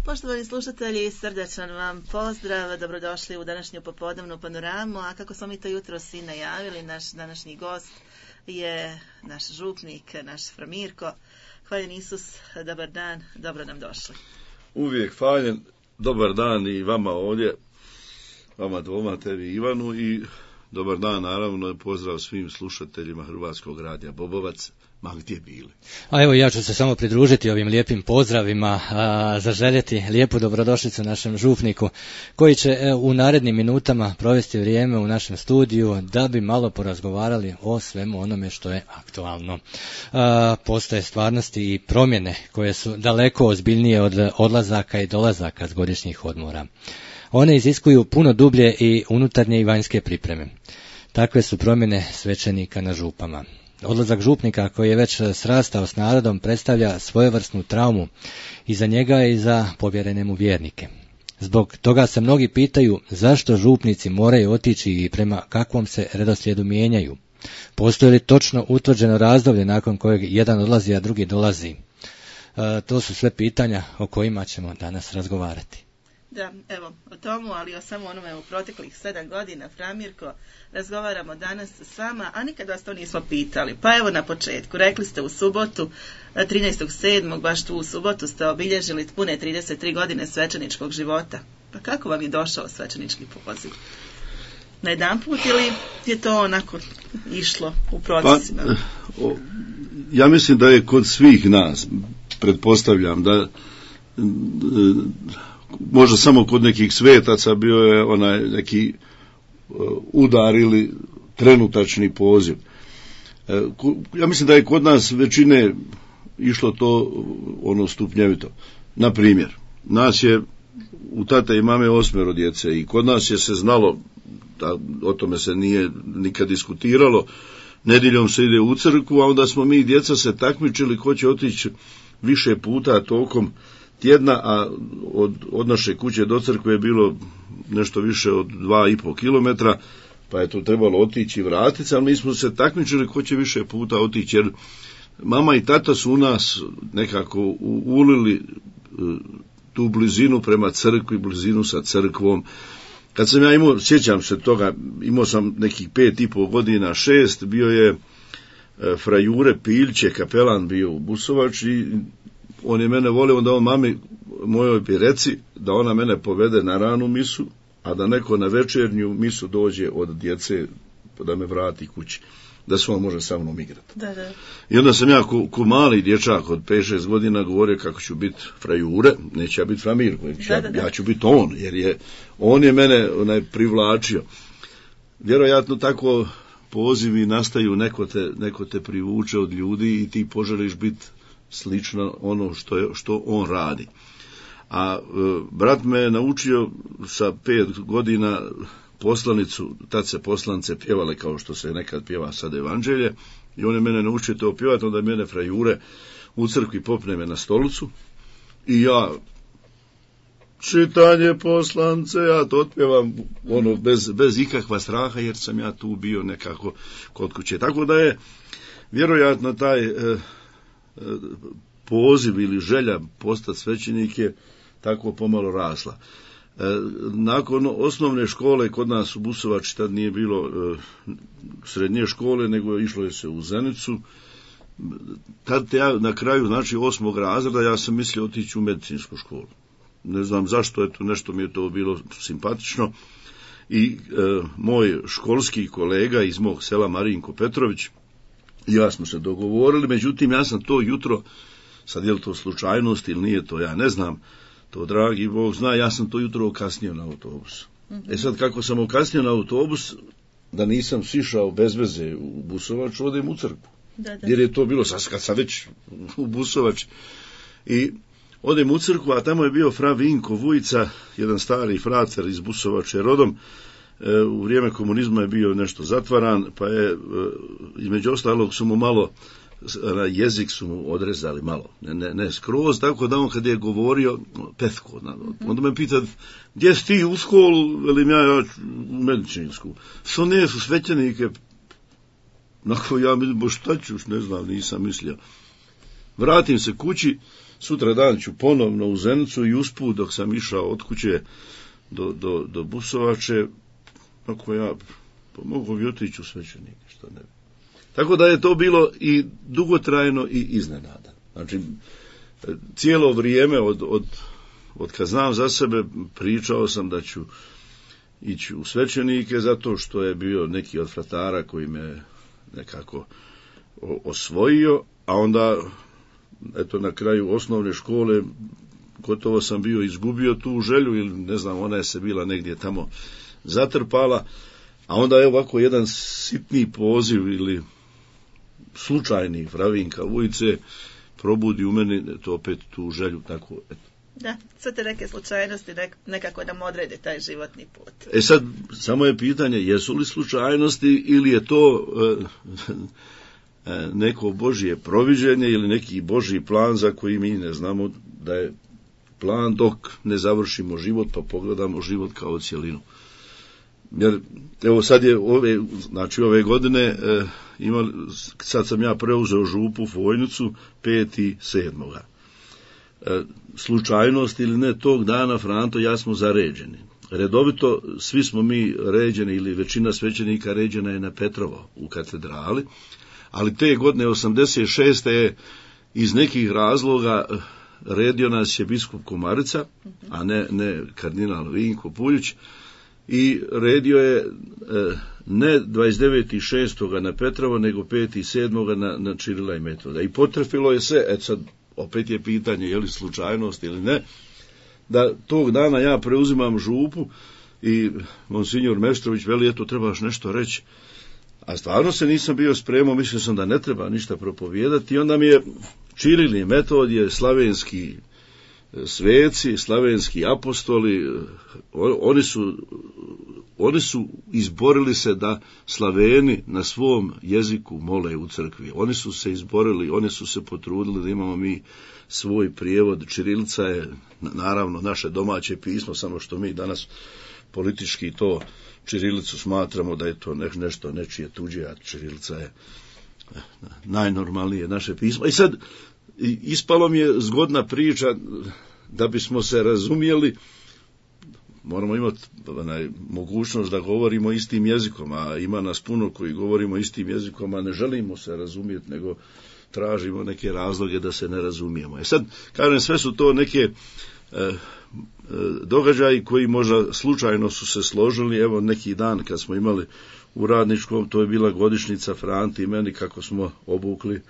Poštovani slušatelji, srdečan vam pozdrav, dobrodošli u današnju popodnevnu panoramu, a kako smo mi to jutros i najavili, naš današnji gost je naš župnik, naš Fra Mirko. Hvaljen Isus, dobar dan, dobro nam došli. Uvijek hvaljen, dobar dan i vama ovdje, vama dvoma, tebi Ivanu, i dobar dan naravno i pozdrav svim slušateljima Hrvatskog radija Bobovac, ma gdje bili. A evo ja ću se samo pridružiti ovim lijepim pozdravima, zaželjeti lijepu dobrodošlicu našem župniku koji će u narednim minutama provesti vrijeme u našem studiju da bi malo porazgovarali o svemu onome što je aktualno. Postoje stvarnosti i promjene koje su daleko ozbiljnije od odlazaka i dolazaka s godišnjih odmora. One iziskuju puno dublje i unutarnje i vanjske pripreme. Takve su promjene svećenika na župama. Odlazak župnika koji je već srastao s narodom predstavlja svojevrsnu traumu i za njega i za povjerene mu vjernike. Zbog toga se mnogi pitaju zašto župnici moraju otići i prema kakvom se redoslijedu mijenjaju. Postoji li točno utvrđeno razdoblje nakon kojeg jedan odlazi, a drugi dolazi? To su sve pitanja o kojima ćemo danas razgovarati. Da, evo, o tomu, ali o samo onome u proteklih 7 godina, Fra Mirko, razgovaramo danas s vama, a nikad vas to nismo pitali. Pa evo na početku, rekli ste u subotu, 13.7., baš tu u subotu ste obilježili pune 33 godine svećeničkog života. Pa kako vam je došao svećenički poziv? Na jedan put ili je to onako išlo u procesima? Pa, ja mislim da je kod svih nas, pretpostavljam da možda samo kod nekih svetaca bio je onaj neki udar ili trenutačni poziv. Ja mislim da je kod nas većine išlo to ono stupnjevito. Na primjer, nas je u tate i mame 8 djece i kod nas je se znalo, da o tome se nije nikad diskutiralo, nedjeljom se ide u crkvu, a onda smo mi djeca se takmičili ko će otići više puta tokom tjedna, a od naše kuće do crkve je bilo nešto više od 2,5 kilometra, pa je to trebalo otići i vratiti, ali mi smo se takmičili ko će više puta otići, jer mama i tata su u nas nekako ulili tu blizinu prema crkvi, blizinu sa crkvom. Kad sam ja imao, sjećam se toga, imao sam nekih 5,5 godina, 6, bio je Fra Jure Piljče, kapelan bio u Busovači, i on je mene volio da on mami mojoj bi reci da ona mene povede na ranu misu, a da neko na večernju misu dođe od djece da me vrati kući, da se on može sa mnom igrati. Da. I onda sam ja ko mali dječak od 5-6 godina govorio kako ću biti Fra Jure, neće ja biti Fra Mirko, ja ću biti on, jer on je mene privlačio. Vjerojatno tako pozivi nastaju, neko te privuče od ljudi i ti poželiš biti slično ono što on radi. A brat me je naučio sa 5 godina poslanicu, tad se poslanice pjevale kao što se nekad pjeva sad evanđelje, i on je mene naučio to pjevati, onda mene Fra Jure u crkvi popne me na stolicu i ja čitanje poslanice, ja to otpjevam ono bez ikakva straha, jer sam ja tu bio nekako kod kuće. Tako da je vjerojatno taj poziv ili želja postati svećenik je tako pomalo rasla. Nakon osnovne škole kod nas u Busovači, tad nije bilo srednje škole, nego išlo je se u Zenicu. Tad ja na kraju, znači 8. razreda, ja sam mislio otići u medicinsku školu. Ne znam zašto, eto, nešto mi je to bilo simpatično. I moj školski kolega iz mog sela, Marinko Petrović, i ja smo se dogovorili, međutim ja sam to jutro, sad je li to slučajnost ili nije to, ja ne znam, to dragi Bog zna, ja sam to jutro okasnio na autobus. Sad kako sam okasnio na autobus, da nisam sišao bez veze u Busovač, odem u crkvu. Da. Jer je to bilo, kad sam već u Busovač, i odem u crkvu, a tamo je bio Fra Vinko Vujica, jedan stari frater iz Busovače rodom. U vrijeme komunizma je bio nešto zatvaran, pa je između ostalog su mu malo jezik su mu odrezali malo, ne skroz, tako da on kad je govorio petko, onda me pita gdje si ti u školu, velim ja u medicinsku, što ne su svećenike, nakon ja mislim, bo šta ćuš, ne znam, nisam mislio. vratim se kući, sutra dan ću ponovno u Zenicu i usput dok sam išao od kuće do Busovače, ako ja mogu bi otići u svećenike, što ne bi. Tako da je to bilo i dugotrajno i iznenada. Znači, cijelo vrijeme od kad znam za sebe pričao sam da ću ići u svećenike zato što je bio neki od fratara koji me nekako osvojio, a onda eto na kraju osnovne škole gotovo sam bio izgubio tu želju ili ne znam, ona je se bila negdje tamo zatrpala, a onda je ovako jedan sitni poziv ili slučajni Fravinka Vujice probudi u meni to opet tu želju tako eto. Da, sve te neke slučajnosti nekako nam odrede taj životni put. Sad, samo je pitanje, jesu li slučajnosti ili je to neko Božje proviđenje ili neki Božji plan za koji mi ne znamo da je plan dok ne završimo život pa pogledamo život kao cjelinu. Jer, evo sad je ove godine sad sam ja preuzeo župu Fojnicu 5.7. Slučajnost ili ne, tog dana Franto ja smo zaređeni. Redovito svi smo mi ređeni ili većina svećenika ređena je na Petrovo u katedrali, ali te godine 86. je iz nekih razloga redio nas je biskup Komarica, a ne kardinal Vinko Puljić, i redio je ne 29.6. na Petrovo, nego 5.7. na Čirila i Metoda. I potrefilo je se, sad opet je pitanje je li slučajnost ili ne, da tog dana ja preuzimam župu i monsignor Meštrović veli, eto trebaš nešto reći. A stvarno se nisam bio spremao, mislio sam da ne treba ništa propovijedati i onda mi je Čiril i Metodije, slavenski sveci, slavenski apostoli, oni su izborili se da Slaveni na svom jeziku mole u crkvi. Oni su se izborili, oni su se potrudili da imamo mi svoj prijevod. Čirilica je naravno naše domaće pismo, samo što mi danas politički to čirilicu smatramo da je to nešto nečije tuđe, a čirilica je najnormalnije naše pismo. I sad ispalo mi je zgodna priča, da bismo se razumjeli, moramo imati mogućnost da govorimo istim jezikom, a ima nas puno koji govorimo istim jezikom, a ne želimo se razumjeti, nego tražimo neke razloge da se ne razumijemo. Sad, kažem, sve su to neke događaji koji možda slučajno su se složili. Evo neki dan kad smo imali u Radničkom, to je bila godišnjica Franti i meni kako smo obukli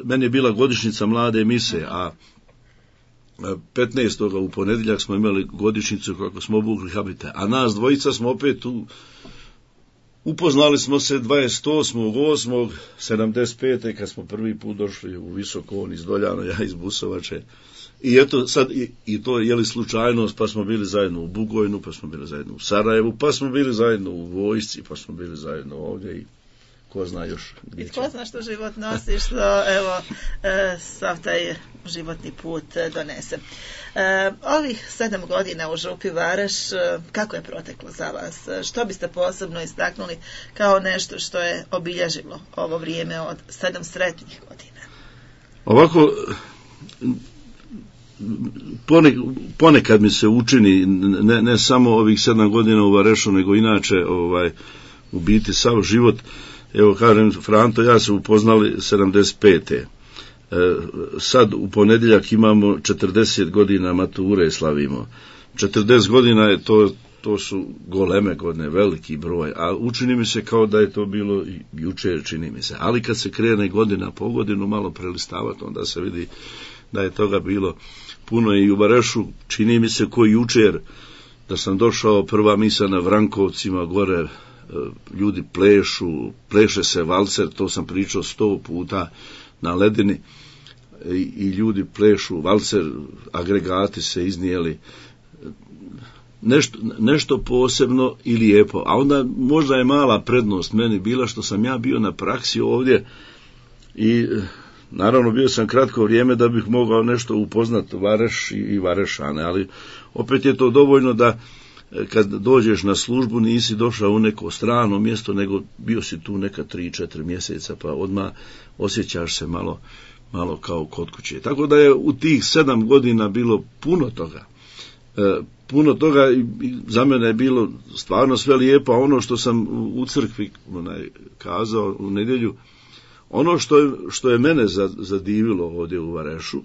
meni je bila godišnjica mlade mise, a 15. u ponedjeljak smo imali godišnjicu kako smo obukli habite, a nas dvojica smo opet upoznali smo se 28.8.75. kad smo prvi put došli u Visoko, on iz Doljana, ja iz Busovače. I eto sad, i to je li slučajnost, pa smo bili zajedno u Bugojnu, pa smo bili zajedno u Sarajevu, pa smo bili zajedno u vojsci, pa smo bili zajedno ovdje i ko zna još gdje će. Ko zna što život nosi, što evo sav taj životni put donese. Ovih 7 godina u župi Vareš, kako je proteklo za vas? Što biste posebno istaknuli kao nešto što je obilježilo ovo vrijeme od 7 sretnih godina? Ovako, ponekad mi se učini, ne samo ovih 7 godina u Varešu, nego inače u biti sav život. Evo kažem, Franto, ja se upoznali 75. Sad u ponedjeljak imamo 40 godina mature slavimo. 40 godina je to su goleme godine, veliki broj, a učini mi se kao da je to bilo jučer, čini mi se. Ali kad se krene godina po godinu malo prelistavati, onda se vidi da je toga bilo puno. I u Varešu čini mi se ko jučer da sam došao, prva misa na Vrankovcima gore, ljudi pleše se valcer, to sam pričao 100 puta na ledini, i ljudi plešu valcer, agregati se iznijeli, nešto posebno i lijepo. A onda možda je mala prednost meni bila što sam ja bio na praksi ovdje i naravno bio sam kratko vrijeme da bih mogao nešto upoznati Vareš i Varešane, ali opet je to dovoljno da kad dođeš na službu nisi došao u neko strano mjesto, nego bio si tu neka 3-4 mjeseca, pa odmah osjećaš se malo kao kod kuće. Tako da je u tih 7 godina bilo puno toga. Puno toga i za mene je bilo stvarno sve lijepo, a ono što sam u crkvi kazao u nedjelju, ono što je mene zadivilo ovdje u Varešu,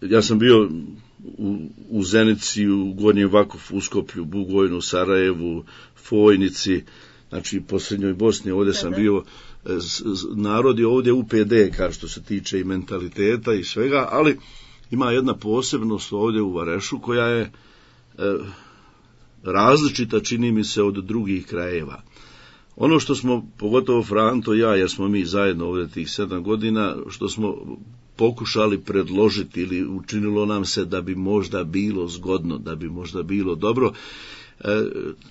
ja sam bio u Zenici, u Gornjem Vakufu, Uskoplju, Bugojnu, Sarajevu, Fojnici, znači po Srednjoj Bosni, ovdje sam bio, narod je ovdje UPD, kao što se tiče i mentaliteta i svega, ali ima jedna posebnost ovdje u Varešu koja je različita, čini mi se, od drugih krajeva. Ono što smo, pogotovo Franto i ja, jer smo mi zajedno ovdje tih 7 godina, što smo pokušali predložiti ili učinilo nam se da bi možda bilo zgodno, da bi možda bilo dobro.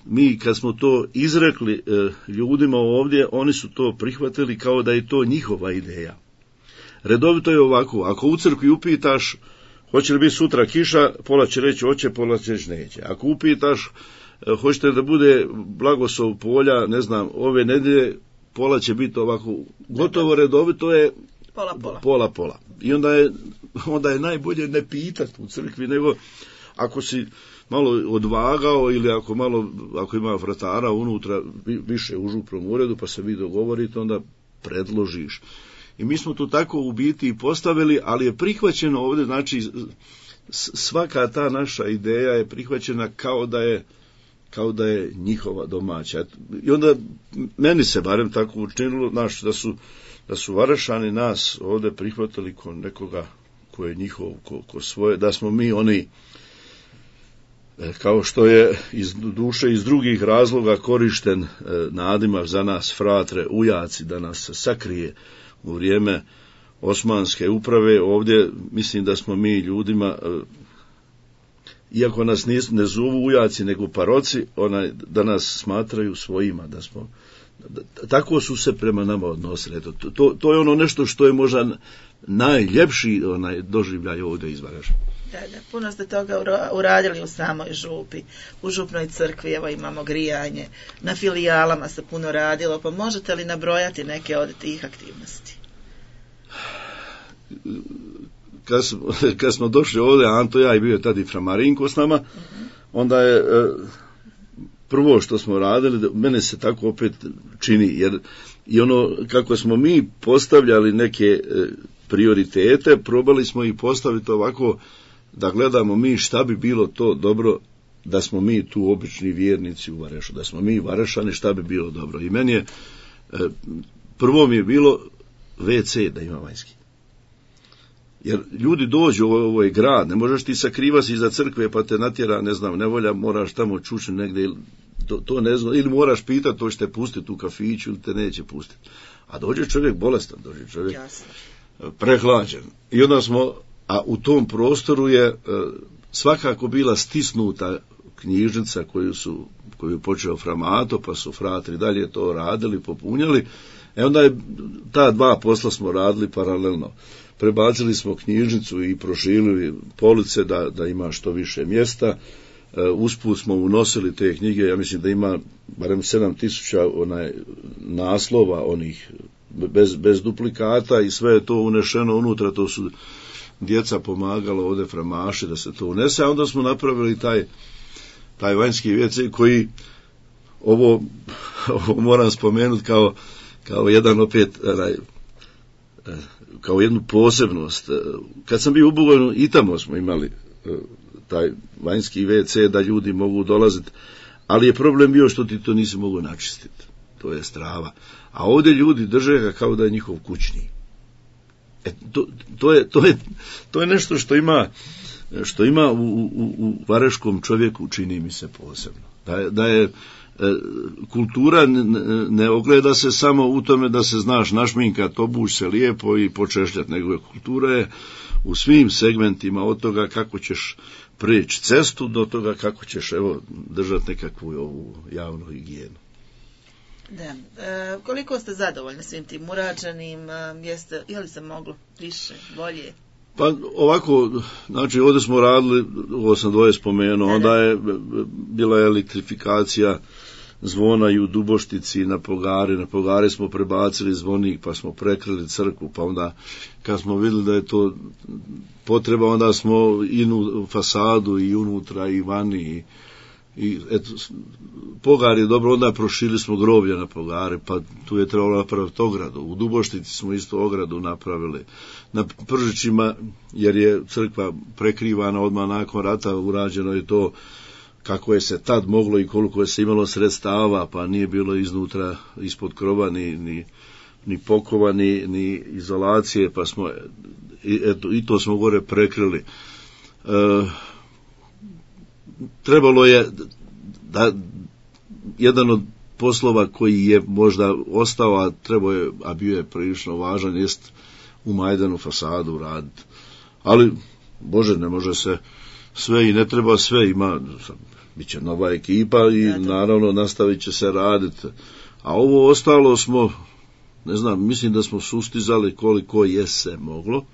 Mi kad smo to izrekli ljudima ovdje, oni su to prihvatili kao da je to njihova ideja. Redovito je ovako, ako u crkvi upitaš hoće li biti sutra kiša, pola će reći hoće, pola će reći neće. Ako upitaš hoćete da bude blagoslov polja, ne znam, ove nedjelje, pola će biti ovako, gotovo redovito je pola. I onda je najbolje ne pitati u crkvi, nego ako si malo odvagao ili ako ima vratara unutra više u župnom uredu pa se vi dogovorite, onda predložiš. I mi smo to tako u biti postavili, ali je prihvaćeno ovdje, znači svaka ta naša ideja je prihvaćena kao da je njihova domaća. I onda meni se barem tako učinilo, da su Varešani nas ovdje prihvatili ko nekoga ko je njihov, ko svoje, da smo mi oni, kao što je iz duše iz drugih razloga korišten nadimak za nas fratre, ujaci, da nas sakrije u vrijeme Osmanske uprave. Ovdje mislim da smo mi ljudima, iako nas ne zovu ujaci nego paroci, da nas smatraju svojima, da smo, tako su se prema nama odnosili. To je ono nešto što je možda najljepši doživljaj ovdje iz Vareša. Da, puno ste toga uradili u samoj župi, u župnoj crkvi, evo imamo grijanje, na filijalama se puno radilo, pa možete li nabrojati neke od tih aktivnosti? Kad smo došli ovdje, Anto ja i bio tad i Framarinko s nama, onda je prvo što smo radili, mene se tako opet čini, jer i ono kako smo mi postavljali neke prioritete, probali smo ih postaviti ovako da gledamo mi šta bi bilo to dobro da smo mi tu obični vjernici u Varešu, da smo mi Varešani, šta bi bilo dobro. I meni je, prvo mi je bilo WC da ima vanjski. Jer ljudi dođu, ovo je grad, ne možeš ti sakrivati iza crkve pa te natjera, ne znam, nevolja, moraš tamo čući negdje, to ne znam, ili moraš pitati, to ćete pustiti u kafiću ili te neće pustiti. A dođe čovjek bolestan, dođe čovjek prehlađen. I onda a u tom prostoru je svakako bila stisnuta knjižnica koju je počeo Framato, pa su fratri dalje to radili, popunjali. Onda je ta dva posla smo radili paralelno. Prebacili smo knjižnicu i proširili police da ima što više mjesta. Usput smo unosili te knjige, ja mislim da ima barem 7000 naslova onih bez duplikata i sve je to unešeno unutra, to su djeca pomagala ovdje Framaši da se to unese, a onda smo napravili taj vanjski WC koji ovo moram spomenuti kao jedan opet kao jednu posebnost. Kad sam bio u Bugojnu, i tamo smo imali taj vanjski WC da ljudi mogu dolaziti, ali je problem bio što ti to nisi mogu načistiti. To je strava. A ovdje ljudi drže ga kao da je njihov kućni. To je nešto što ima u vareškom čovjeku, čini mi se posebno. Da je kultura ne ogleda se samo u tome da se znaš našminkat, obući se lijepo i počešljati, nego kultura je u svim segmentima, od toga kako ćeš prijeći cestu do toga kako ćeš držati nekakvu ovu javnu higijenu. Da. Koliko ste zadovoljni svim tim urađenim? Je li se moglo više, bolje? Pa ovako, znači ovdje smo radili, ovo sam dvoje spomenuo, onda je bila elektrifikacija zvona i u Duboštici na Pogare smo prebacili zvonik, pa smo prekrili crkvu, pa onda kad smo vidjeli da je to potreba, onda smo i u fasadu i unutra i vani i eto, Pogar je dobro, onda prošili smo groblje na Pogare, pa tu je trebalo napraviti ogradu. U Duboštici smo isto ogradu napravili. Na Pržićima, jer je crkva prekrivana odmah nakon rata, urađeno je to kako je se tad moglo i koliko je se imalo sredstava, pa nije bilo iznutra, ispod krova ni pokova, ni izolacije, pa smo i to smo gore prekrili. Trebalo je da jedan od poslova koji je možda ostao, a bio je prilično važan, jest u Majdanu fasadu raditi. Ali, Bože, ne može se sve i ne treba sve, bit će nova ekipa i naravno nastavit će se raditi. A ovo ostalo smo, ne znam, mislim da smo sustizali koliko je se moglo,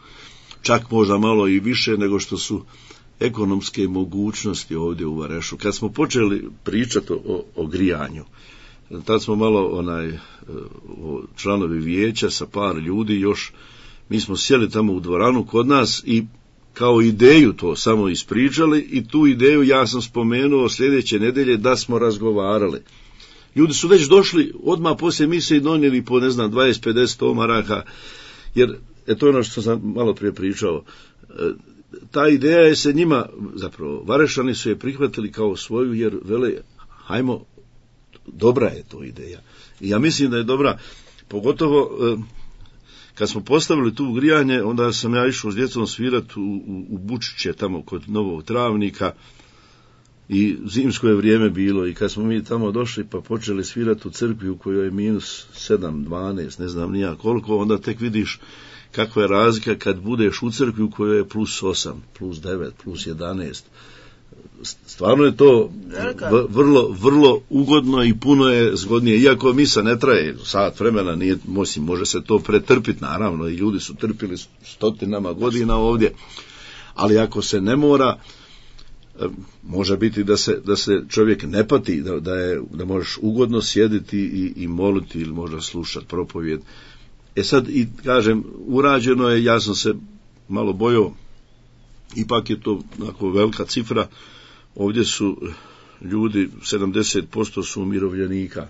čak možda malo i više nego što su ekonomske mogućnosti ovdje u Varešu. Kad smo počeli pričati o grijanju, tad smo malo članovi vijeća sa par ljudi još, mi smo sjeli tamo u dvoranu kod nas i kao ideju to samo ispričali i tu ideju ja sam spomenuo sljedeće nedelje da smo razgovarali. Ljudi su već došli odmah poslije mise i donijeli po 20-50 maraka, jer to je ono što sam malo prije pričao. Ta ideja je se njima, zapravo Varešani su je prihvatili kao svoju, jer vele, hajmo, dobra je to ideja. I ja mislim da je dobra, pogotovo kad smo postavili tu grijanje, onda sam ja išao s djecom svirati u Bučiće, tamo kod Novog Travnika, i zimsko je vrijeme bilo, i kad smo mi tamo došli pa počeli svirati u crkvi u kojoj je minus 7, 12, ne znam nija koliko, onda tek vidiš kakva je razlika kad budeš u crkvi u kojoj je plus 8, plus 9, plus 11. Stvarno je to vrlo ugodno i puno je zgodnije, iako misa ne traje sat vremena, može se to pretrpiti, naravno, i ljudi su trpili stotinama godina ovdje, ali ako se ne mora, može biti da se čovjek ne pati, da možeš ugodno sjediti i moliti ili možda slušati propovijed. Sad, i kažem, urađeno je, ja sam se malo bojao, ipak je to onako velika cifra, ovdje su ljudi, 70% su umirovljenika,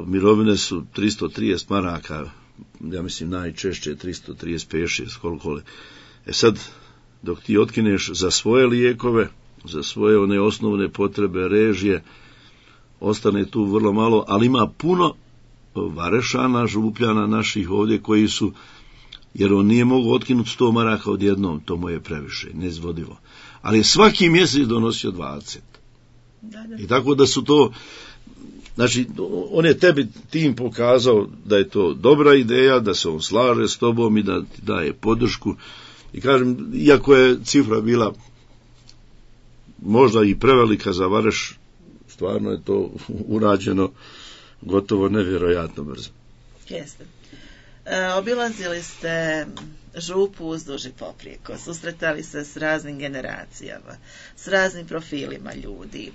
mirovine su 330 maraka, ja mislim najčešće 335, koliko li. Sad, dok ti otkineš za svoje lijekove, za svoje one osnovne potrebe, režije, ostane tu vrlo malo, ali ima puno Varešana, Župljana naših ovdje koji su, jer on nije mogu otkinuti 100 maraka odjednom, to mu je previše, neizvodivo. Ali je svaki mjesec donosio 20. Da. I tako da su to, znači, on je tebi tim pokazao da je to dobra ideja, da se on slaže s tobom i da ti daje podršku. I kažem, iako je cifra bila možda i prevelika za Vareš, stvarno je to urađeno gotovo nevjerojatno brzo. Jeste. Obilazili ste župu uzduž i poprijeko, susretali se s raznim generacijama, s raznim profilima ljudi,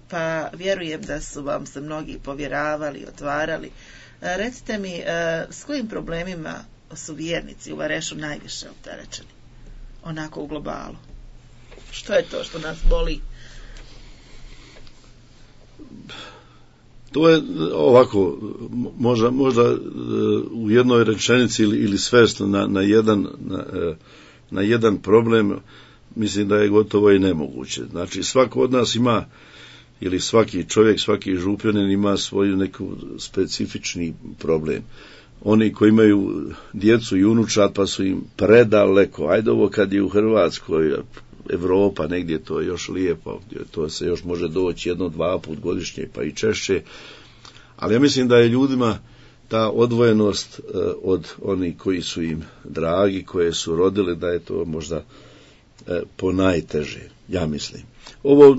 pa vjerujem da su vam se mnogi povjeravali, otvarali. Recite mi, s kojim problemima su vjernici u Varešu najviše opterećeni? Onako u globalu. Što je to što nas boli? To je ovako, možda u jednoj rečenici ili svesti na jedan problem, mislim da je gotovo i nemoguće. Znači, svako od nas ima, ili svaki čovjek, svaki župljanin ima svoju neku specifični problem. Oni koji imaju djecu i unučad pa su im predaleko, ajde ovo kad je u Hrvatskoj, Evropa, negdje to je još lijepo, to se još može doći 1-2 put godišnje pa i češće, ali ja mislim da je ljudima ta odvojenost od onih koji su im dragi, koje su rodili, da je to možda ponajteže, ja mislim. Ovo,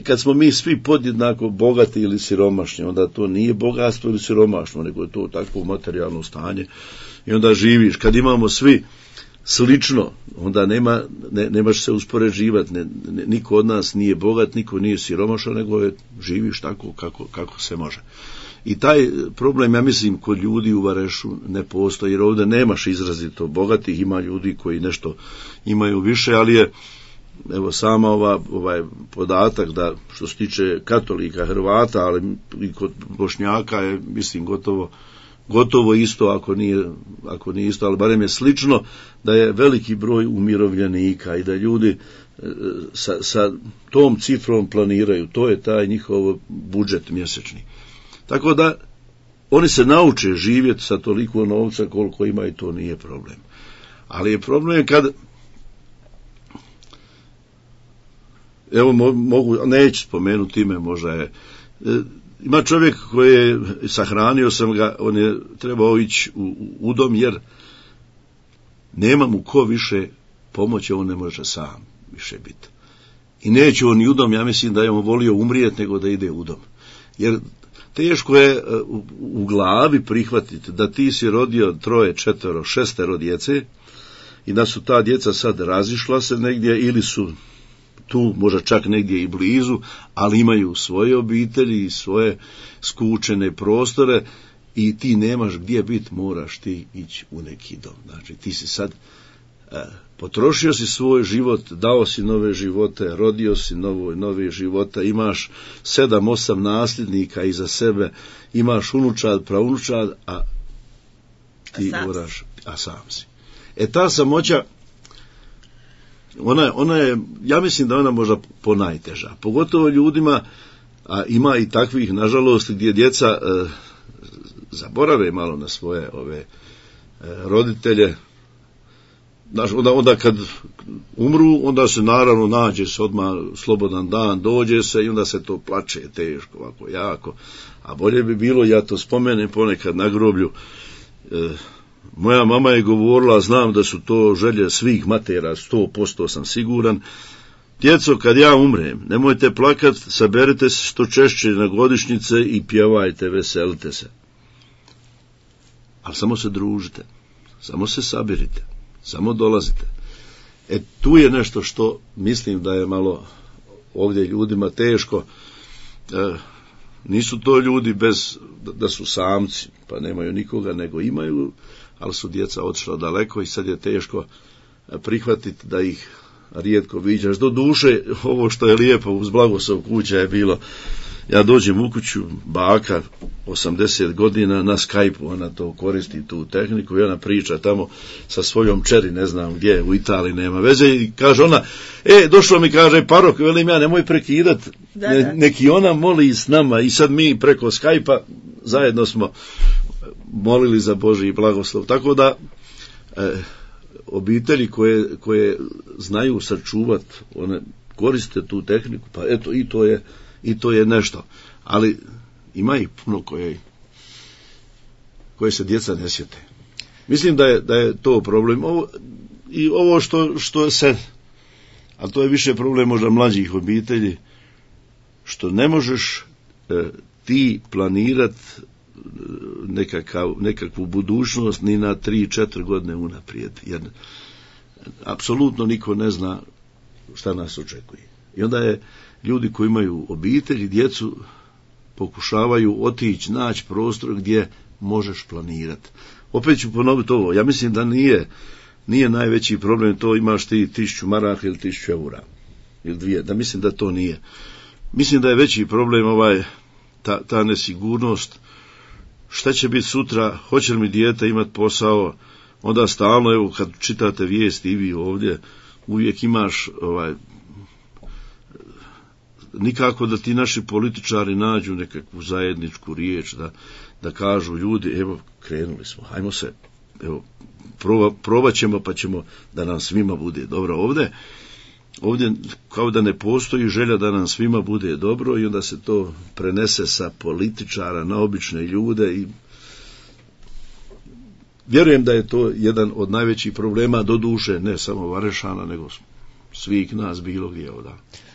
kad smo mi svi podjednako bogati ili siromašni, onda to nije bogatstvo ili siromaštvo, nego je to takvo materijalno stanje i onda živiš. Kad imamo svi slično, onda nemaš se uspoređivati, niko od nas nije bogat, niko nije siromašan, nego živiš tako kako se može. I taj problem, ja mislim, kod ljudi u Varešu ne postoji, jer ovdje nemaš izrazito bogatih, ima ljudi koji nešto imaju više, ali je, evo, sama ovaj podatak da što se tiče katolika, Hrvata, ali i kod Bošnjaka je, mislim, gotovo isto, ako nije isto, ali barem je slično, da je veliki broj umirovljenika i da ljudi sa tom cifrom planiraju, to je taj njihov budžet mjesečni. Tako da oni se nauče živjeti sa toliko novca koliko ima i to nije problem. Ali je problem kad, evo neću spomenuti ime, možda je, ima čovjek koji je, sahranio sam ga, on je trebao ići u dom jer nema mu ko više pomoći, on ne može sam više biti. I neće on i u dom, ja mislim da je on volio umrijeti nego da ide u dom. Jer teško je u glavi prihvatiti da ti si rodio 3, 4, 6 djece i da su ta djeca sad razišla se negdje ili su tu možda čak negdje i blizu, ali imaju svoje obitelji i svoje skučene prostore i ti nemaš gdje biti, moraš ti ići u neki dom. Znači ti si sad potrošio si svoj život, dao si nove živote, rodio si nove života, imaš 7-8 nasljednika iza sebe, imaš unučad, praunučad, a ti moraš, a sam si. Ta samoća, ona je, ja mislim da ona možda ponajteža, pogotovo ljudima, a ima i takvih, nažalost, gdje djeca zaborave malo na svoje roditelje. Onda kad umru, onda se naravno nađe se odmah slobodan dan, dođe se i onda se to plače teško, ovako jako. A bolje bi bilo, ja to spomenem ponekad na groblju, moja mama je govorila, znam da su to želje svih matera, 100% sam siguran, djeco, kad ja umrem, nemojte plakat, saberite se što češće na godišnjice i pjevajte, veselite se. Ali samo se družite, samo se sabirite, samo dolazite. Tu je nešto što mislim da je malo ovdje ljudima teško. Nisu to ljudi da su samci, pa nemaju nikoga, nego imaju, ali su djeca otišla daleko i sad je teško prihvatiti da ih rijetko viđaš. Do duše, ovo što je lijepo uz blagoslov kuća je bilo, ja dođem u kuću, baka 80 godina na Skype-u, ona to koristi, tu tehniku, i ona priča tamo sa svojom čeri, ne znam gdje, u Italiji, nema veze, i kaže ona, došlo mi, kaže, parok, velim ja, nemoj prekidat, neki ona moli s nama, i sad mi preko Skype-a zajedno smo molili za Božji blagoslov, tako da obitelji koje znaju sačuvat, one koriste tu tehniku, pa eto, i to je nešto, ali ima ih puno koje se djeca ne sjete. Mislim da je to problem. Ovo što se, a to je više problem možda mlađih obitelji, što ne možeš ti planirat nekakvu budućnost ni na 3-4 godine unaprijed, jer apsolutno niko ne zna šta nas očekuje. I onda je ljudi koji imaju obitelj, djecu, pokušavaju otići, naći prostor gdje možeš planirati. Opet ću ponoviti ovo, ja mislim da nije najveći problem, to imaš ti 1000 maraka ili 1000 eura, ili 2, da mislim da to nije. Mislim da je veći problem ta nesigurnost, šta će biti sutra, hoće li mi dijete imati posao, onda stalno, evo, kad čitate vijesti i vi ovdje, uvijek imaš nikako da ti naši političari nađu nekakvu zajedničku riječ, da kažu ljudi, evo, krenuli smo, hajmo se, evo, probat ćemo, pa ćemo da nam svima bude dobro. Ovdje kao da ne postoji želja da nam svima bude dobro i onda se to prenese sa političara na obične ljude i vjerujem da je to jedan od najvećih problema, do duše ne samo Varešana, nego svih nas bilo gdje ovdje.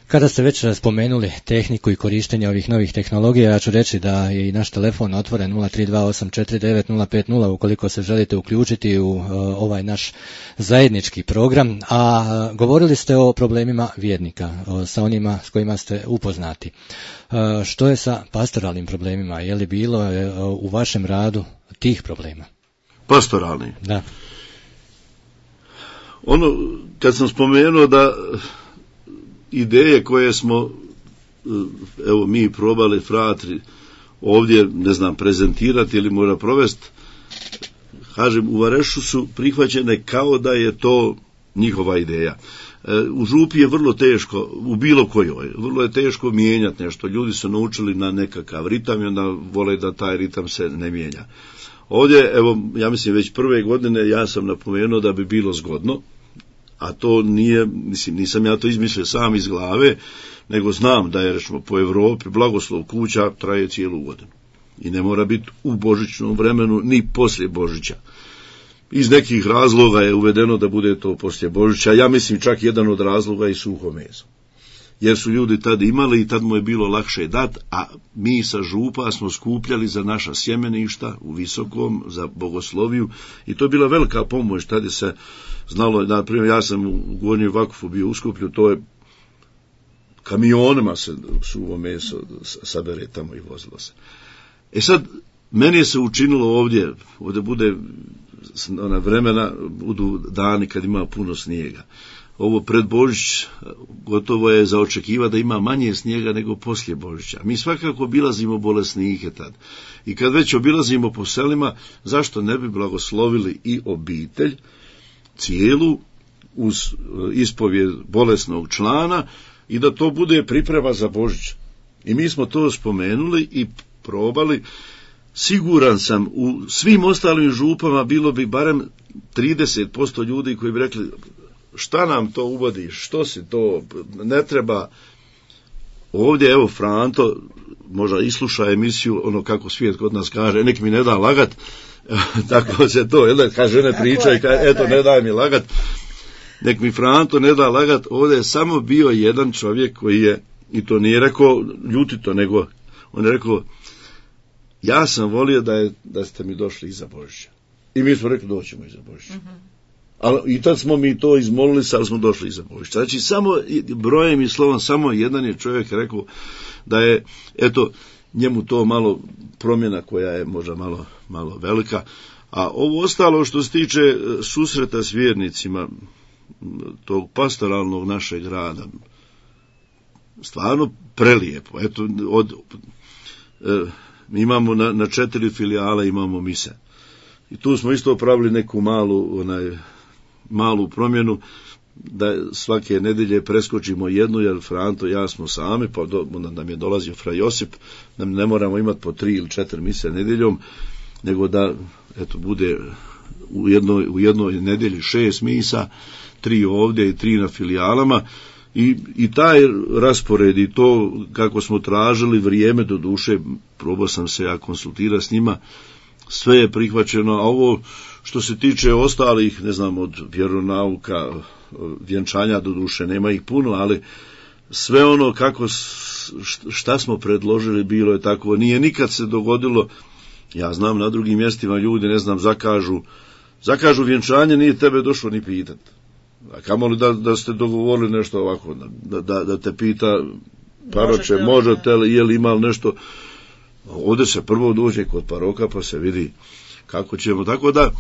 Kada ste već spomenuli tehniku i korištenje ovih novih tehnologija, ja ću reći da je i naš telefon otvoren 032849050 ukoliko se želite uključiti u ovaj naš zajednički program, a govorili ste o problemima vjernika, sa onima s kojima ste upoznati. Što je sa pastoralnim problemima? Je li bilo u vašem radu tih problema? Pastoralni? Da. Ono, kad sam spomenuo da ideje koje smo, evo mi probali fratri ovdje, ne znam, prezentirati ili mora provesti, kažem, u Varešu su prihvaćene kao da je to njihova ideja. U župi je vrlo teško, u bilo kojoj, vrlo je teško mijenjati nešto. Ljudi su naučili na nekakav ritam i onda vole da taj ritam se ne mijenja. Ovdje, evo, ja mislim već prve godine ja sam napomenuo da bi bilo zgodno, a to nije, mislim, nisam ja to izmislio sam iz glave, nego znam da je, recimo, po Europi blagoslov kuća traje cijelu godinu. I ne mora biti u božićnom vremenu, ni poslije Božića. Iz nekih razloga je uvedeno da bude to poslije Božića. Ja mislim čak jedan od razloga i suho meso. Jer su ljudi tad imali i tad mu je bilo lakše dat, a mi sa župa smo skupljali za naša sjemeništa u Visokom, za bogosloviju, i to je bila velika pomoć. Tad je se znalo, na primjer, ja sam u Gornjoj Vakufu bio u Skuplju, to je kamionima se suvo meso sabere tamo i vozilo se. E sad, meni je se učinilo ovdje bude ona vremena, budu dani kad ima puno snijega. Ovo pred Božić gotovo je za očekivati da ima manje snijega nego poslije Božića. Mi svakako obilazimo bolesnike tad. I kad već obilazimo po selima, zašto ne bi blagoslovili i obitelj cijelu uz ispovijed bolesnog člana i da to bude priprema za Božić. I mi smo to spomenuli i probali. Siguran sam, u svim ostalim župama bilo bi barem 30% ljudi koji bi rekli, šta nam to uvodi, što si to, ne treba. Ovdje, evo, Franto možda isluša emisiju, ono kako svijet kod nas kaže, nek mi ne da lagat, tako se to, kaže, ne pričaj, eto, ne daj mi lagat, nek mi Franto ne da lagat. Ovdje je samo bio jedan čovjek koji je, i to nije rekao ljutito, nego on je rekao, ja sam volio da ste mi došli iza Božića. I mi smo rekli, doćemo iza Božića. I tad smo mi to izmolili, sad smo došli iza Božića. Znači, samo brojem i slovom, samo jedan je čovjek rekao da je, eto, njemu to malo promjena koja je možda malo velika. A ovo ostalo što se tiče susreta s vjernicima, tog pastoralnog našeg rada, stvarno prelijepo. Eto, mi imamo na 4 filijale imamo mise. I tu smo isto pravili neku malu promjenu, da svake nedjelje preskočimo jednu, jer Franto i ja smo sami, pa nam je dolazio fra Josip, da ne moramo imati po 3 ili 4 mise nedjeljom, nego da, eto, bude u jednoj nedjelji 6 misa, 3 ovdje i 3 na filijalama. I taj raspored i to kako smo tražili vrijeme, do duše probao sam se ja konsultirati s njima, sve je prihvaćeno. A ovo što se tiče ostalih, ne znam, od vjeronauka, vjenčanja, do duše nema ih puno, ali sve ono šta smo predložili bilo je tako. Nije nikad se dogodilo, ja znam na drugim mjestima ljudi, ne znam, zakažu vjenčanje, nije tebe došlo ni pitat. A kamoli da ste dogovorili nešto ovako, da te pita, paroče, možete li, je li imali nešto. Ovdje se prvo dođe kod paroka pa se vidi kako ćemo. Tako da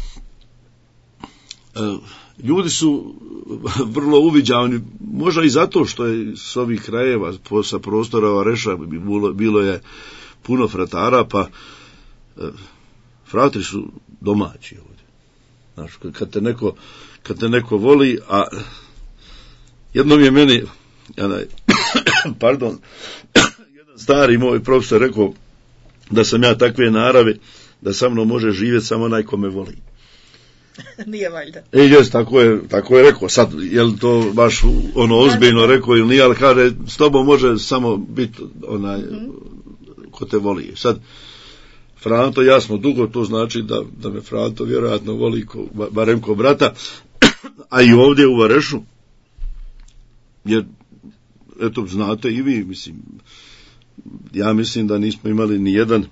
ljudi su vrlo uviđavni, možda i zato što je s ovih krajeva, sa prostora Vareša bilo je puno fratara, pa fratri su domaći ovdje. Znaš, kad te neko voli, a jednom je meni jedan stari moj profesor rekao da sam ja takve narave da sa mnom može živjeti samo onaj ko me voli. Nije valjda. Jes, tako je rekao. Sad, je li to baš ozbiljno rekao ili nije, ali kaže, s tobom može samo biti onaj ko te voli. Sad, Franto, ja smo dugo, to znači da me Franto vjerojatno voli barem ko brata, a i ovdje u Varešu, jer eto, znate i vi, mislim, ja mislim da nismo imali ni jedan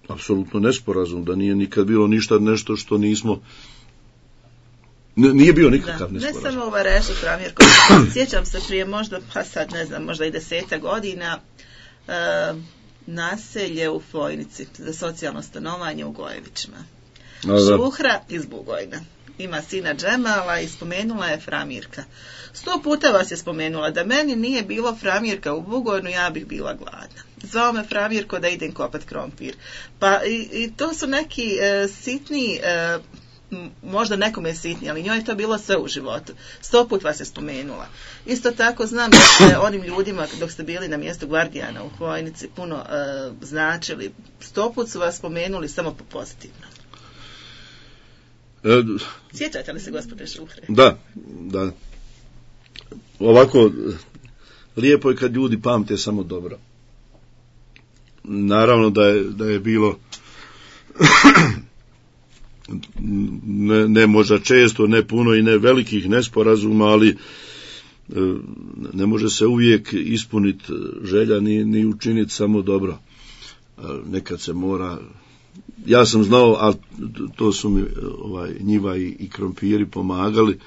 apsolutno nesporazum, da nije nikad bilo ništa nešto što nismo, nije bio nikakav nesporazum. Ne samo u Varešu, Framirko, sjećam se prije možda, pa sad ne znam, možda i 10 godina, naselje u Fojnici za socijalno stanovanje u Gojevićima. Šuhra iz Bugojna. Ima sina Džemala i spomenula je Framirka. 100 puta vas je spomenula, da meni nije bilo Framirka u Bugojnu, ja bih bila gladna. Zvao me Framirko da idem kopat krompir. Pa i to su neki sitni, možda nekome je sitni, ali njoj je to bilo sve u životu. 100 put vas je spomenula. Isto tako znam da ste onim ljudima, dok ste bili na mjestu gvardijana u Hvojnici, puno značili. 100 put su vas spomenuli samo po pozitivno. Sjećate li se, gospodine Šuhre? Da. Ovako, lijepo je kad ljudi pamte samo dobro. Naravno da je bilo ne možda često, ne puno i ne velikih nesporazuma, ali ne može se uvijek ispuniti želja ni učiniti samo dobro. Nekad se mora, ja sam znao, a to su mi njiva i krompiri pomagali,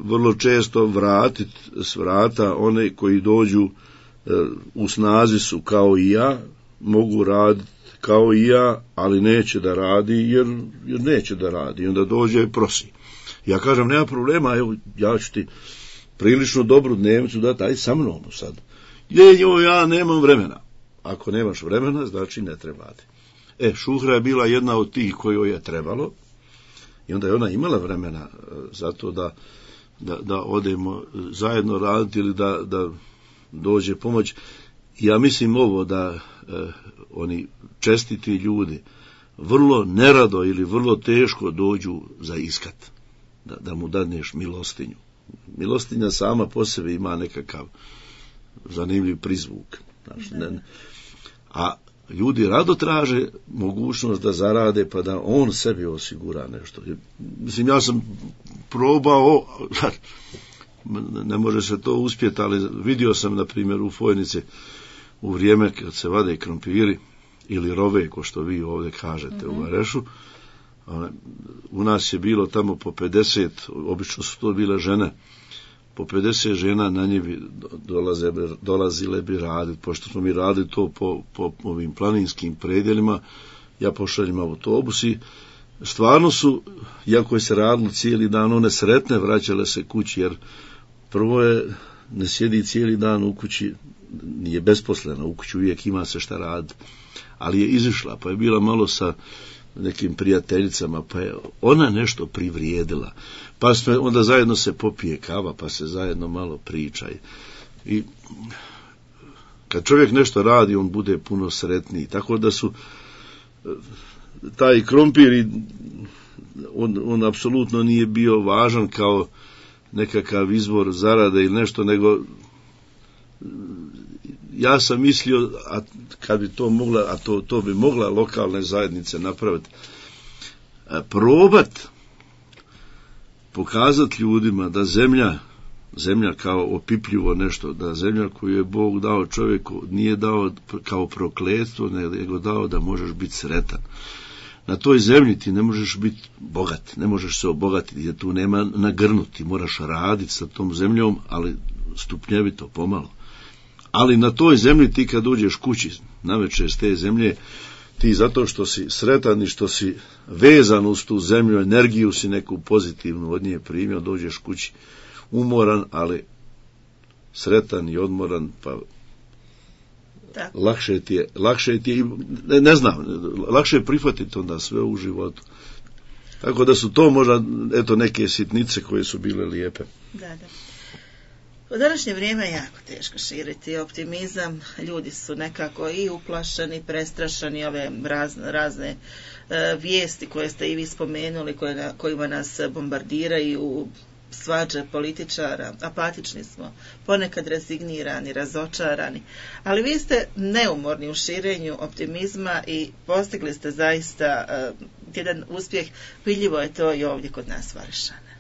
vrlo često vratiti s vrata one koji dođu u snazi su kao i ja, mogu raditi kao i ja, ali neće da radi jer neće da radi. I onda dođe i prosi. Ja kažem, nema problema, evo, ja ću ti prilično dobru dnevnicu dati, aj sa mnom sad. Ja nemam vremena. Ako nemaš vremena, znači ne treba ti. Šuhra je bila jedna od tih kojoj je trebalo i onda je ona imala vremena zato da odemo zajedno raditi ili da dođe pomoć. Ja mislim ovo da oni čestiti ljudi vrlo nerado ili vrlo teško dođu za iskat, da mu dadneš milostinju. Milostinja sama po sebi ima nekakav zanimljiv prizvuk. A ljudi rado traže mogućnost da zarade pa da on sebi osigura nešto. Mislim, ja sam probao, ne može se to uspjeti, ali vidio sam, na primjer, u Fojnici u vrijeme kad se vade krompiri ili rove, ko što vi ovdje kažete u Varešu, u nas je bilo tamo po 50, obično su to bile žene, po 50 žena na njivi dolazile bi raditi, pošto smo mi radili to po ovim planinskim predjelima, ja pošaljem autobus i stvarno su, iako je se radilo cijeli dan, one sretne vraćale se kući, jer prvo je, ne sjedi cijeli dan u kući, nije besposlena, u kući uvijek ima se šta raditi, ali je izišla, pa je bila malo sa nekim prijateljicama, pa je ona nešto privrijedila, pa onda zajedno se popije kava, pa se zajedno malo priča. I kad čovjek nešto radi, on bude puno sretniji, tako da su taj krompir, on apsolutno nije bio važan kao nekakav izvor zarade ili nešto, nego ja sam mislio, a kad bi to mogla, a to bi mogla lokalne zajednice napraviti, probat pokazati ljudima da zemlja kao opipljivo nešto, da zemlja koju je Bog dao čovjeku nije dao kao prokletstvo, nego dao da možeš biti sretan. Na toj zemlji ti ne možeš biti bogat, ne možeš se obogatiti, jer tu nema nagrnuti, moraš raditi sa tom zemljom, ali stupnjevito, pomalo. Ali na toj zemlji ti kad uđeš kući navečer s te zemlje, ti zato što si sretan i što si vezan uz tu zemlju, energiju si neku pozitivnu od nje primio, dođeš kući umoran, ali sretan i odmoran, pa tako. Lakše ti je, ne znam, lakše je prihvatiti onda sve u životu. Tako da su to možda, eto, neke sitnice koje su bile lijepe. Da. U današnje vrijeme je jako teško širiti optimizam, ljudi su nekako i uplašeni, prestrašeni, ove razne vijesti koje ste i vi spomenuli, kojima nas bombardiraju svađe političara, apatični smo, ponekad rezignirani, razočarani, ali vi ste neumorni u širenju optimizma i postigli ste zaista jedan uspjeh. Vidljivo je to i ovdje kod nas Varišane.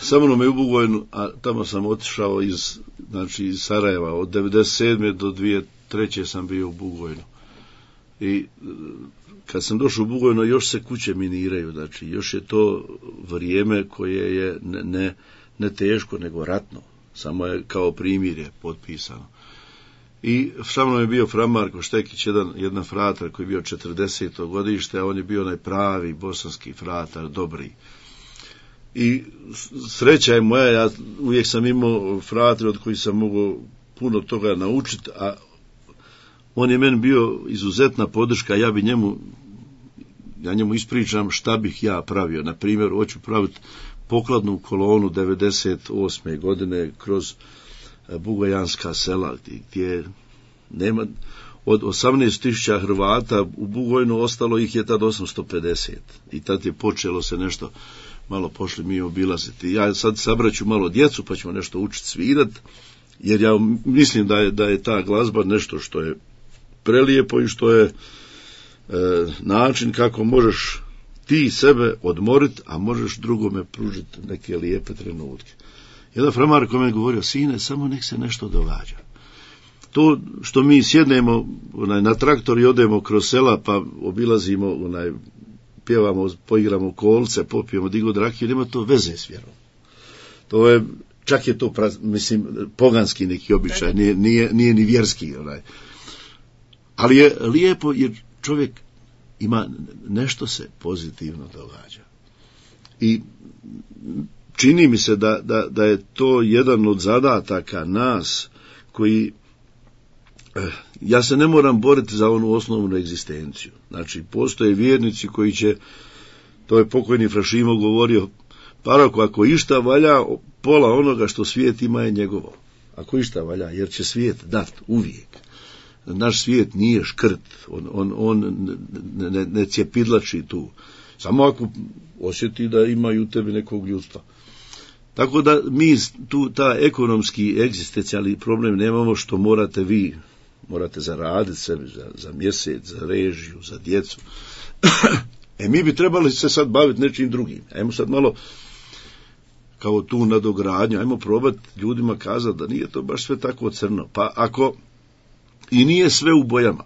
Sa mnom je u Bugojnu, a tamo sam otišao iz Sarajeva, od 1997. do 2003. sam bio u Bugojnu. I kad sam došao u Bugojno, još se kuće miniraju, znači još je to vrijeme koje je ne teško, nego ratno, samo je kao primirje potpisano. I sa mnom je bio Fra Marko Štekić, jedan fratar koji je bio 40. godište, a on je bio onaj pravi bosanski fratar, dobri. I sreća je moja, ja uvijek sam imao fratre od kojih sam mogao puno toga naučiti, a on je meni bio izuzetna podrška, ja njemu ispričam šta bih ja pravio. Na primjer, hoću praviti pokladnu kolonu 98. godine kroz bugojanska sela, gdje nema, od 18.000 Hrvata u Bugojnu ostalo ih je tad 850. I tad je počelo se nešto, malo pošli mi obilaziti. Ja sad sabraću malo djecu pa ćemo nešto učiti svirat, jer ja mislim da je ta glazba nešto što je prelijepo i što je način kako možeš ti sebe odmoriti, a možeš drugome pružiti neke lijepe trenutke. Jedan Fra Marko mi je govorio, sine, samo nek se nešto događa. To što mi sjednemo na traktor i odemo kroz sela pa obilazimo, pjevamo, poigramo kolce, popijemo digod rakiju, nema to veze s vjerom. To je, čak je to poganski neki običaj, nije ni vjerski. Ali je lijepo jer čovjek ima, nešto se pozitivno događa. I čini mi se da je to jedan od zadataka nas koji, ja se ne moram boriti za onu osnovnu egzistenciju. Znači, postoje vjernici koji će, to je pokojni Fra Šimo govorio, parako, ako išta valja, pola onoga što svijet ima je njegovo. Ako išta valja, jer će svijet dat uvijek. Naš svijet nije škrt, on ne cjepidlači tu. Samo ako osjeti da imaju u tebi nekog ljudstva. Tako da mi tu ta ekonomski egzistencijalni problem nemamo, što morate zaraditi sebi za mjesec, za režiju, za djecu. Mi bi trebali se sad baviti nečim drugim. Ajmo sad malo kao tu nadogradnju, ajmo probati ljudima kazati da nije to baš sve tako crno. Pa ako i nije sve u bojama,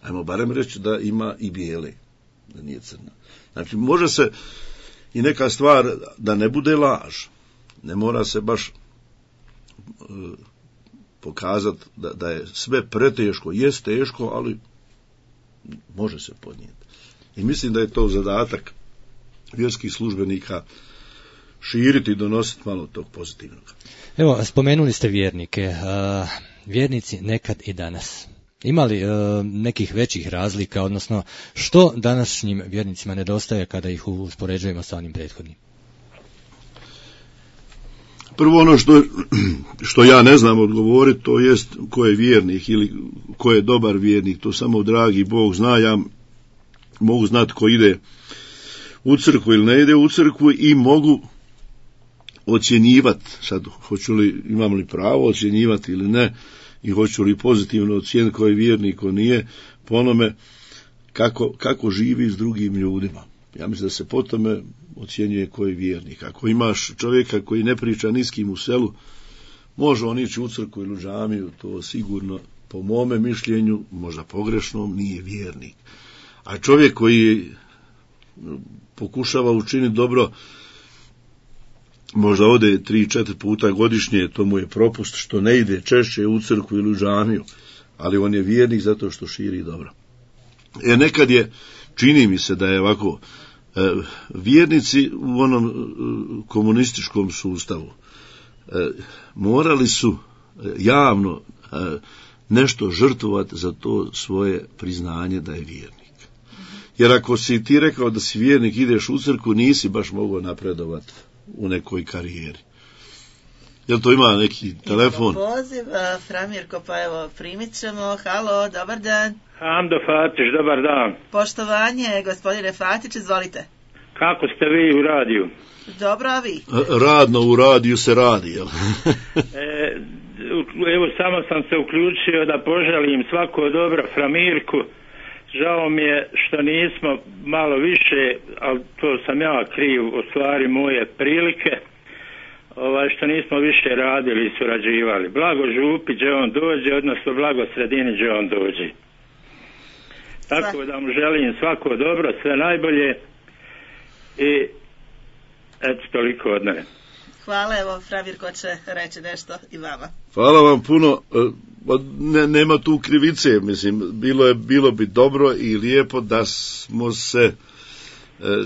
ajmo barem reći da ima i bijele, da nije crna. Znači, može se i neka stvar da ne bude laž. Ne mora se baš pokazati da je sve preteško. Jest teško, ali može se podnijeti. I mislim da je to zadatak vjerskih službenika, širiti i donositi malo tog pozitivnog. Evo, spomenuli ste vjernike. Vjernici nekad i danas. Ima li nekih većih razlika, odnosno što današnjim vjernicima nedostaje kada ih uspoređujemo sa onim prethodnim? Prvo ono što ja ne znam odgovoriti, to jest ko je vjernik ili ko je dobar vjernik, to samo dragi Bog zna. Ja mogu znati ko ide u crkvu ili ne ide u crkvu i mogu ocjenjivati, sad imam li pravo ocjenjivati ili ne, i hoću li pozitivno ocijeniti ko je vjernik, ko nije, po onome kako živi s drugim ljudima. Ja mislim da se po tome ocjenjuje ko je vjernik. Ako imaš čovjeka koji ne priča ni s kim u selu, može on ići u crkvu ili u džamiju, to sigurno, po mome mišljenju, možda pogrešnom, nije vjernik. A čovjek koji pokušava učiniti dobro, možda ode 3-4 puta godišnje, to mu je propust što ne ide češće u crkvu ili u džamiju, ali on je vjernik zato što širi dobro. Nekad je, čini mi se da je ovako, vjernici u onom komunističkom sustavu morali su javno nešto žrtvovati za to svoje priznanje da je vjernik. Jer ako si ti rekao da si vjernik, ideš u crkvu, nisi baš mogao napredovati u nekoj karijeri. Jel to ima neki telefon? Imamo poziv, Fra Mirko, pa evo, primit ćemo. Halo, dobar dan. Hamdo Fatić, dobar dan. Poštovanje, gospodine Fatić, izvolite. Kako ste vi u radiju? Dobro, a vi? Radno u radiju se radi, jel? Evo, samo sam se uključio da poželim svako dobro Framirku. Žao mi je što nismo malo više, ali to sam ja kriv, u stvari moje prilike, što nismo više radili i surađivali. Blago župi gdje on dođe, odnosno blago sredini gdje on dođe. Tako da mu želim svako dobro, sve najbolje i eto, toliko od mene. Hvala, evo Framirko će reći nešto i vama. Hvala vam puno. Nema tu krivice, mislim, bilo bi dobro i lijepo da smo se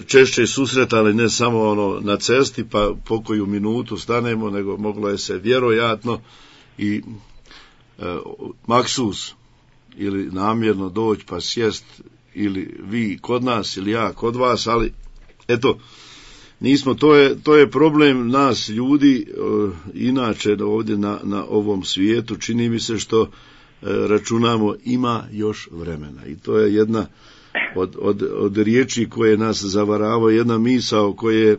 češće susretali, ne samo na cesti pa po koju minutu stanemo, nego moglo je se vjerojatno i maksus ili namjerno doći pa sjest, ili vi kod nas ili ja kod vas, ali eto, nismo, to je problem nas ljudi, inače ovdje na ovom svijetu, čini mi se što računamo ima još vremena, i to je jedna od riječi koje nas zavaravaju, jedna misao koje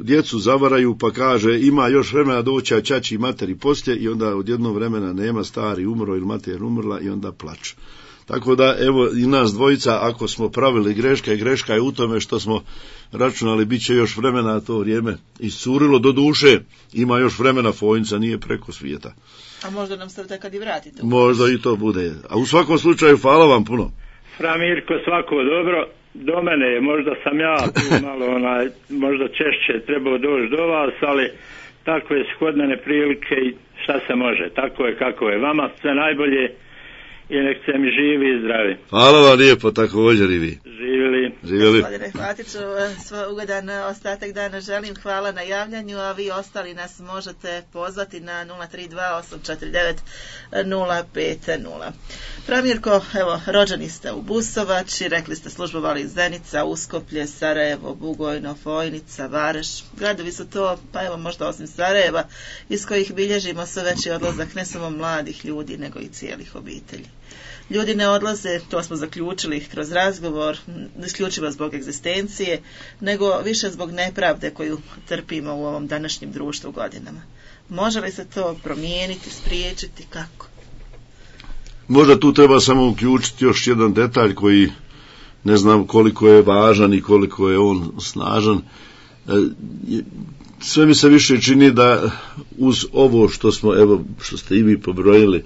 djecu zavaraju pa kaže ima još vremena doći, a ćaći i materi poslije, i onda od jednog vremena nema, stari umro ili mater umrla i onda plaču. Tako da, evo, i nas dvojica, ako smo pravili greške, greška je u tome što smo računali bit će još vremena, a to vrijeme iscurilo. Do duše, ima još vremena, Fojnica nije preko svijeta. A možda nam se kad i vratite. Možda i to bude. A u svakom slučaju, hvala vam puno. Framirko, svako dobro. Do mene, možda sam ja tu malo, možda češće trebao doći do vas, ali takve su kod mene prilike i šta se može. Tako je kako je. Vama sve najbolje i nek se mi živi i zdravi. Hvala vam lijepo, također i vi. Živjeli. Gospodine Hvatiću, ugodan ostatak dana želim. Hvala na javljanju, a vi ostali nas možete pozvati na 032-849-050. Framirko, evo, rođeni ste u Busovači, rekli ste službovali Zenica, Uskoplje, Sarajevo, Bugojno, Fojnica, Vareš. Gradovi su to, pa evo možda osim Sarajeva, iz kojih bilježimo sve veći odlazak ne samo mladih ljudi, nego i cijelih obitelji. Ljudi ne odlaze, to smo zaključili kroz razgovor, isključivo zbog egzistencije, nego više zbog nepravde koju trpimo u ovom današnjem društvu godinama. Može li se to promijeniti, spriječiti, kako? Možda tu treba samo uključiti još jedan detalj koji ne znam koliko je važan i koliko je on snažan. Sve mi se više čini da uz ovo što smo, evo, što ste i vi pobrojili,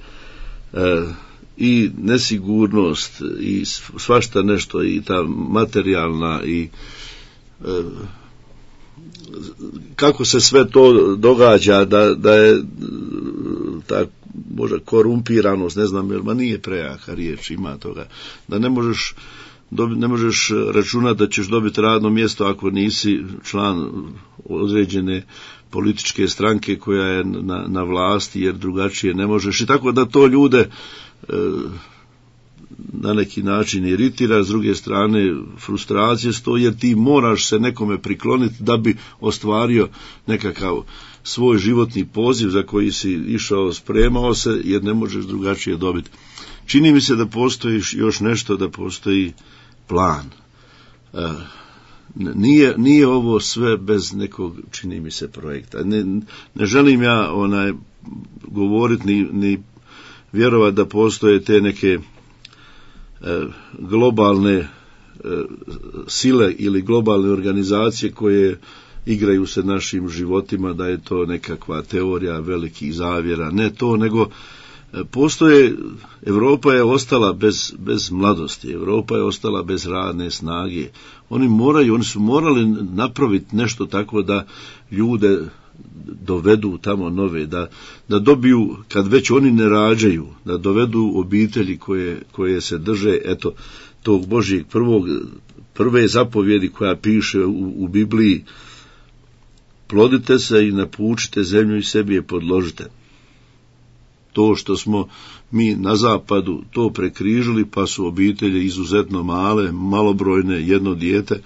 i nesigurnost i svašta nešto, i ta materijalna, i kako se sve to događa, da je ta možda korumpiranost, ne znam, jer nije prejaka riječ, ima toga, da ne možeš računati da ćeš dobiti radno mjesto ako nisi član određene političke stranke koja je na vlasti, jer drugačije ne možeš, i tako da to ljude na neki način iritira. S druge strane, frustracije stoji, jer ti moraš se nekome prikloniti da bi ostvario nekakav svoj životni poziv za koji si išao, spremao se, jer ne možeš drugačije dobiti. Čini mi se da postoji još nešto, da postoji plan. Nije ovo sve bez nekog, čini mi se, projekta. Ne želim ja govoriti ni vjerovati da postoje te neke globalne sile ili globalne organizacije koje igraju se našim životima, da je to nekakva teorija velikih zavjera. Ne to, nego postoje, Europa je ostala bez mladosti, Europa je ostala bez radne snage. Oni su morali napraviti nešto tako da ljude dovedu tamo nove, da dobiju, kad već oni ne rađaju, da dovedu obitelji koje se drže, eto, tog Božjeg prve zapovjedi koja piše u Bibliji: plodite se i napučite zemlju i sebi je podložite. To što smo mi na zapadu to prekrižili, pa su obitelji izuzetno male, malobrojne, jedno dijete,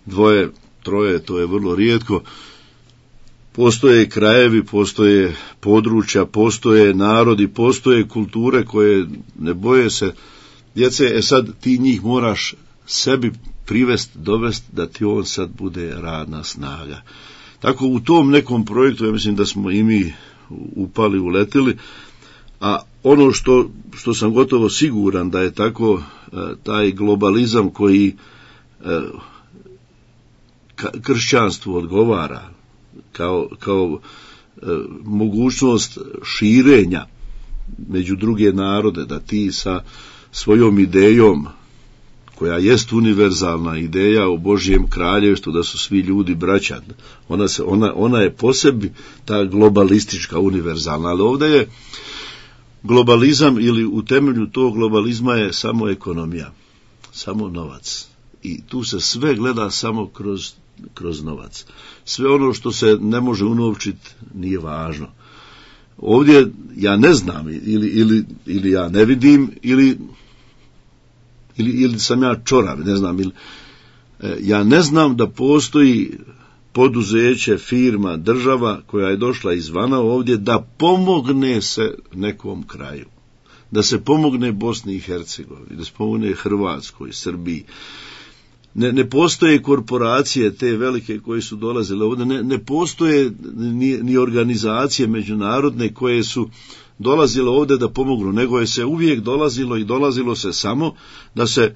dvoje, troje, to je vrlo rijetko. Postoje krajevi, postoje područja, postoje narodi, postoje kulture koje ne boje se djece. Sad ti njih moraš sebi dovest da ti on sad bude radna snaga. Tako u tom nekom projektu, ja mislim da smo i mi upali, uletili, a ono što sam gotovo siguran da je tako, taj globalizam koji kršćanstvu odgovara kao mogućnost širenja među druge narode, da ti sa svojom idejom, koja jest univerzalna ideja o Božjem kraljevstvu, da su svi ljudi braća, ona je po sebi ta globalistička, univerzalna, ali ovdje je globalizam, ili u temelju tog globalizma je samo ekonomija, samo novac. I tu se sve gleda samo kroz novac. Sve ono što se ne može unovčiti nije važno. Ovdje ja ne znam, ili ja ne vidim, ili sam ja čorav, ne znam. Ja ne znam da postoji poduzeće, firma, država koja je došla izvana ovdje da pomogne se nekom kraju. Da se pomogne Bosni i Hercegovini, da se pomogne Hrvatskoj, Srbiji. Ne postoje korporacije te velike koje su dolazile ovdje, ne postoje ni organizacije međunarodne koje su dolazile ovdje da pomognu, nego je se uvijek dolazilo se samo da se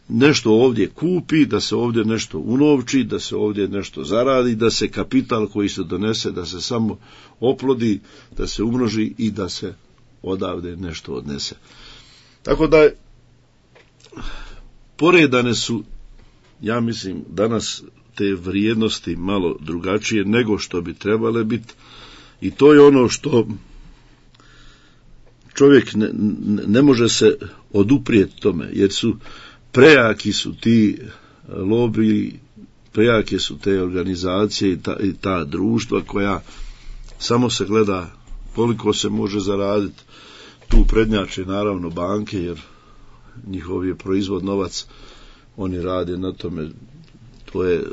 nešto ovdje kupi, da se ovdje nešto unovči, da se ovdje nešto zaradi, da se kapital koji se donese, da se samo oplodi, da se umnoži i da se odavde nešto odnese. Tako da poredane su, ja mislim, danas te vrijednosti malo drugačije nego što bi trebale biti, i to je ono što čovjek ne može se oduprijeti tome, jer prejaki su ti lobiji, prejake su te organizacije i ta društva koja samo se gleda koliko se može zaraditi. Tu prednjače naravno banke, jer njihov je proizvod novac, oni rade na tome, to je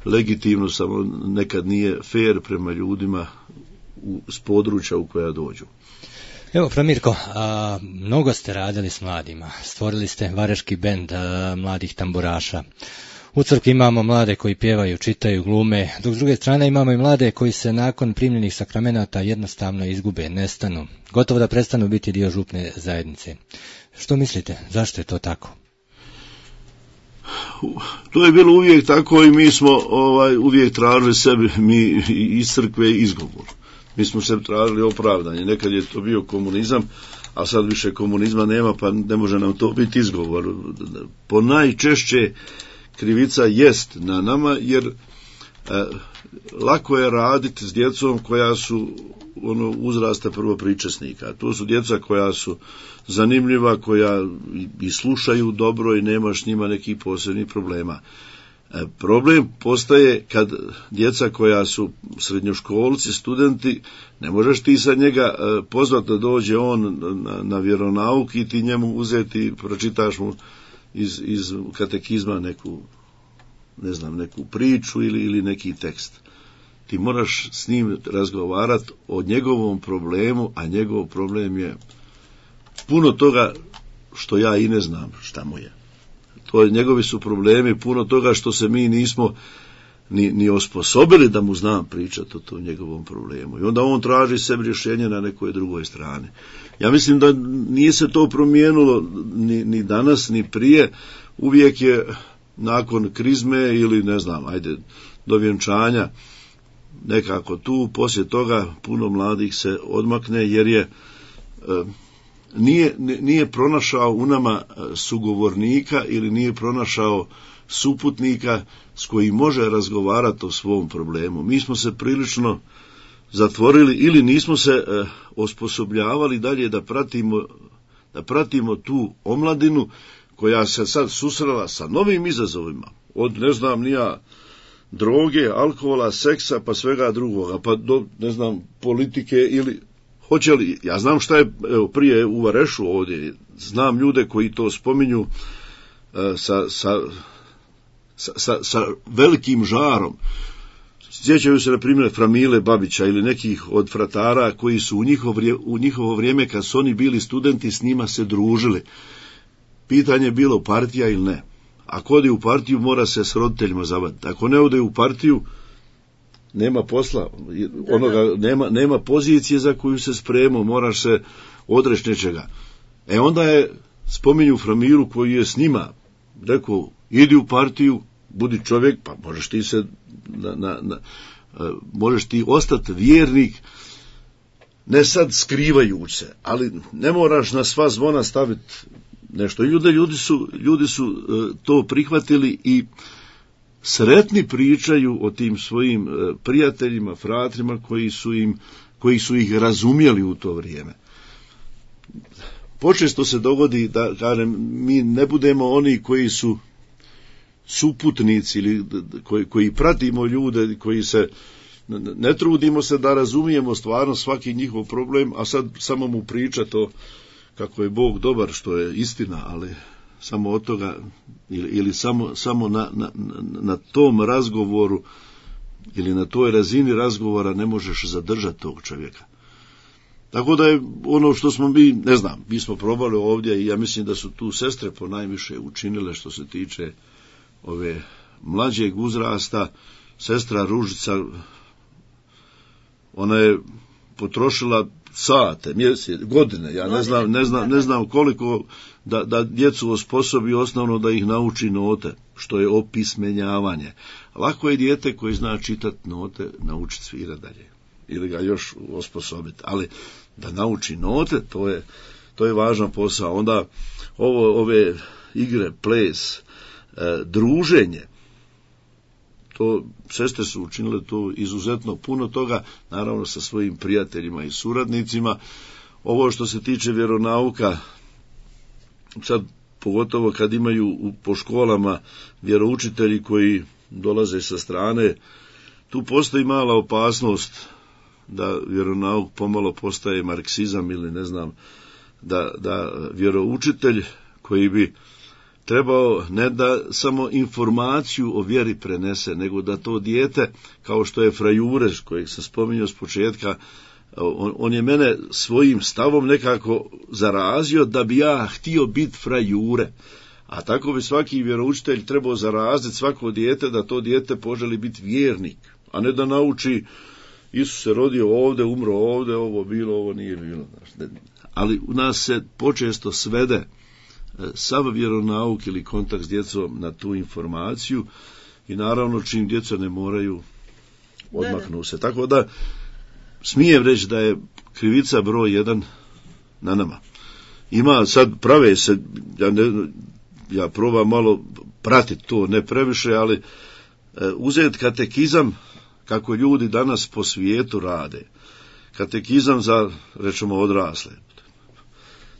legitimno, samo nekad nije fair prema ljudima s područja u koja dođu. Evo, Framirko, mnogo ste radili s mladima, stvorili ste vareški bend mladih tamburaša. U crkvi imamo mlade koji pjevaju, čitaju, glume, dok s druge strane imamo i mlade koji se nakon primljenih sakramenata jednostavno izgube, nestanu, gotovo da prestanu biti dio župne zajednice. Što mislite, zašto je to tako? To je bilo uvijek tako i mi smo uvijek tražili sebi, mi iz crkve, izgovor. Mi smo se tražili opravdanje. Nekad je to bio komunizam, a sad više komunizma nema, pa ne može nam to biti izgovor. Po najčešće krivica jest na nama, jer lako je raditi s djecom koja su uzrasta prvopričesnika. To su djeca koja su zanimljiva, koja i slušaju dobro i nemaš s njima nekih posebnih problema. Problem postaje kad djeca koja su srednjoškolci, studenti, ne možeš ti sad njega pozvati da dođe on na vjeronauk i ti njemu uzeti, pročitaš mu iz katekizma neku priču ili neki tekst. Ti moraš s njim razgovarati o njegovom problemu, a njegov problem je puno toga što ja i ne znam šta mu je. Njegovi su problemi puno toga što se mi nismo ni osposobili da mu znam pričati o tom njegovom problemu. I onda on traži sebi rješenje na nekoj drugoj strani. Ja mislim da nije se to promijenilo ni danas, ni prije. Uvijek je nakon krizme ili do vjenčanja nekako tu, poslije toga puno mladih se odmakne jer je nije pronašao u nama sugovornika ili nije pronašao suputnika s kojim može razgovarati o svom problemu. Mi smo se prilično zatvorili ili nismo se osposobljavali dalje da pratimo tu omladinu koja se sad susrela sa novim izazovima, od droge, alkohola, seksa pa svega drugoga, pa do politike ili hoće li, ja znam šta je prije u Varešu ovdje, znam ljude koji to spominju sa velikim žarom. Sjećaju se, na primjer, Framile Babića ili nekih od fratara koji su u njihovo vrijeme, kad su oni bili studenti, s njima se družili. Pitanje je bilo partija ili ne. ako ode u partiju mora se s roditeljima zavaditi. Ako ne ode u partiju, nema posla, nema pozicije za koju se spremao, moraš se odreći nečega. Onda je, spominju Framiru koji je s njima rekao, idi u partiju, budi čovjek, pa možeš ti se možeš ti ostati vjernik, ne sad skrivajući se, ali ne moraš na sva zvona staviti nešto. Ljudi su to prihvatili i sretni pričaju o tim svojim prijateljima, fratrima koji su ih razumjeli u to vrijeme. Počesto se dogodi da, kažem, mi ne budemo oni koji su suputnici ili koji pratimo ljude, koji se ne trudimo se da razumijemo stvarno svaki njihov problem, a sad samo mu priča to kako je Bog dobar, što je istina, ali samo od toga ili samo na tom razgovoru ili na toj razini razgovora ne možeš zadržati tog čovjeka. Tako da je ono što smo mi smo probali ovdje i ja mislim da su tu sestre ponajviše učinile što se tiče ove mlađeg uzrasta. Sestra Ružica, ona je potrošila sate, mjesece, godine, ja ne znam koliko da djecu osposobi osnovno da ih nauči note, što je opismenjavanje. Lako je dijete koji zna čitati note naučiti svirati dalje ili ga još osposobiti, ali da nauči note, to je važan posao. Onda ove igre, ples, druženje, to sestre su učinile to izuzetno puno toga, naravno sa svojim prijateljima i suradnicima. Ovo što se tiče vjeronauka, sad pogotovo kad imaju po školama vjeroučitelji koji dolaze sa strane, tu postoji mala opasnost da vjeronauk pomalo postaje marksizam ili ne znam, da vjeroučitelj koji bi trebao ne da samo informaciju o vjeri prenese, nego da to dijete, kao što je Fra Jure, kojeg sam spominjao s početka, on je mene svojim stavom nekako zarazio da bi ja htio biti Fra Jure. A tako bi svaki vjeroučitelj trebao zaraziti svako dijete da to dijete poželi biti vjernik, a ne da nauči Isus se rodio ovdje, umro ovdje, ovo bilo, ovo nije bilo. Ali u nas se počesto svede sav vjeronauk ili kontakt s djecom na tu informaciju i naravno čim djeca ne moraju, odmaknu se. Tako da smijem reći da je krivica broj 1 na nama. Ima sad prave se, ja probam malo pratiti to, ne previše, ali uzeti katekizam kako ljudi danas po svijetu rade. Katekizam za, rečemo, odrasle.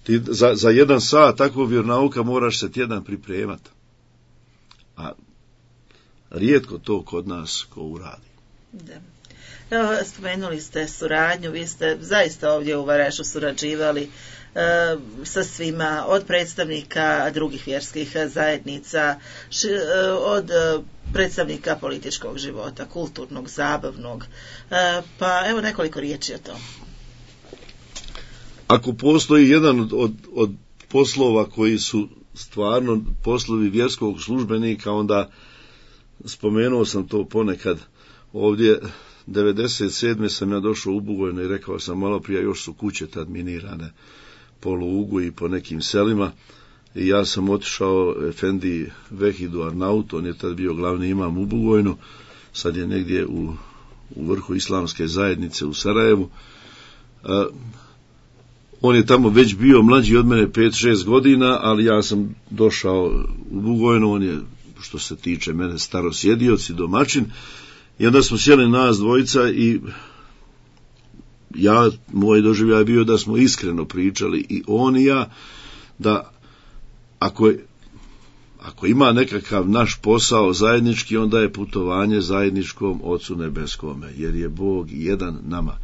Ti za 1 sat takvog vjeronauka moraš se tjedan pripremati. A rijetko to kod nas ko uradi. Da. Evo, spomenuli ste suradnju, vi ste zaista ovdje u Varažu surađivali sa svima, od predstavnika drugih vjerskih zajednica, od predstavnika političkog života, kulturnog, zabavnog, pa evo nekoliko riječi o tom. Ako postoji jedan od poslova koji su stvarno poslovi vjerskog službenika, onda spomenuo sam to ponekad ovdje. 97. sam ja došao u Bugojno i rekao sam malo prije, još su kuće tad minirane po Lugu i po nekim selima, i ja sam otišao Efendi Vehidu Arnautu, on je tad bio glavni imam u Bugojnu, sad je negdje u vrhu islamske zajednice u Sarajevu. On je tamo već bio mlađi od mene 5-6 godina, ali ja sam došao u Bugojno, on je, što se tiče mene, starosjedioc i domaćin, i onda smo sjeli nas dvojica i moj doživljaj bio da smo iskreno pričali i on i ja, da ako ima nekakav naš posao zajednički, onda je putovanje zajedničkom Ocu Nebeskome, jer je Bog jedan nama.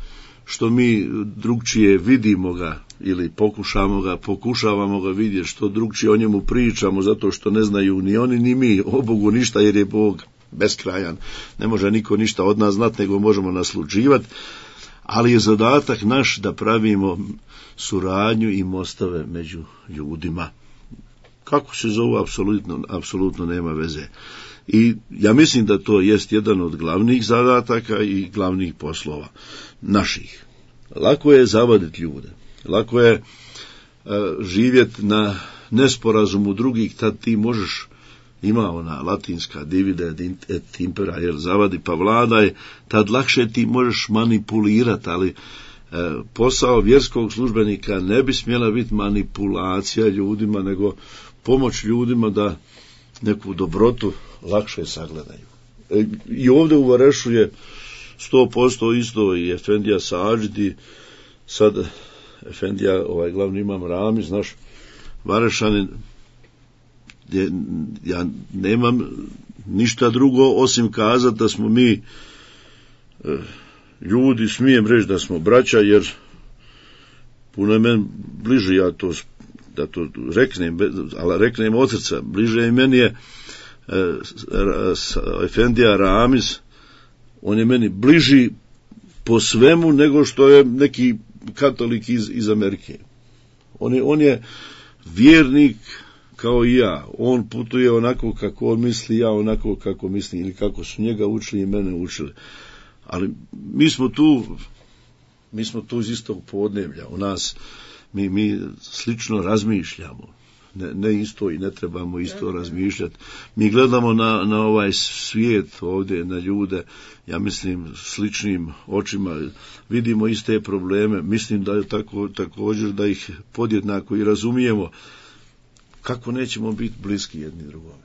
Što mi drugčije vidimo ga ili pokušavamo ga vidjeti, što drugčije o njemu pričamo, zato što ne znaju ni oni ni mi o Bogu ništa, jer je Bog beskrajan. Ne može niko ništa od nas znati, nego možemo nasluđivati, ali je zadatak naš da pravimo suradnju i mostove među ljudima. kako se zovu, apsolutno nema veze. I ja mislim da to jest jedan od glavnih zadataka i glavnih poslova naših. Lako je zavaditi ljude, lako je živjeti na nesporazumu drugih, tad ti možeš, ima ona latinska divide et impera, jer zavadi pa vladaj, tad lakše ti možeš manipulirati, ali posao vjerskog službenika ne bi smjela biti manipulacija ljudima, nego pomoć ljudima da neku dobrotu lakše sagledaju. I ovdje u Varešu je 100% isto i Efendija Sađidi, sad Efendija, glavni imam Ramiz, naš Varešanin, ja nemam ništa drugo osim kazati da smo mi ljudi, smijem reći da smo braća, jer puno je meni bliže, da to reknem, ali reknem od srca, bliže i meni je Efendija Ramiz, on je meni bliži po svemu nego što je neki katolik iz Amerike. On je vjernik kao i ja. On putuje onako kako on misli, ja onako kako mislim, ili kako su njega učili i mene učili. Ali mi smo tu iz istog podneblja. U nas mi slično razmišljamo. Ne isto i ne trebamo isto razmišljati. Mi gledamo na ovaj svijet ovdje, na ljude, ja mislim, sličnim očima, vidimo iste probleme, mislim da je također da ih podjednako i razumijemo. Kako nećemo biti bliski jedni drugome?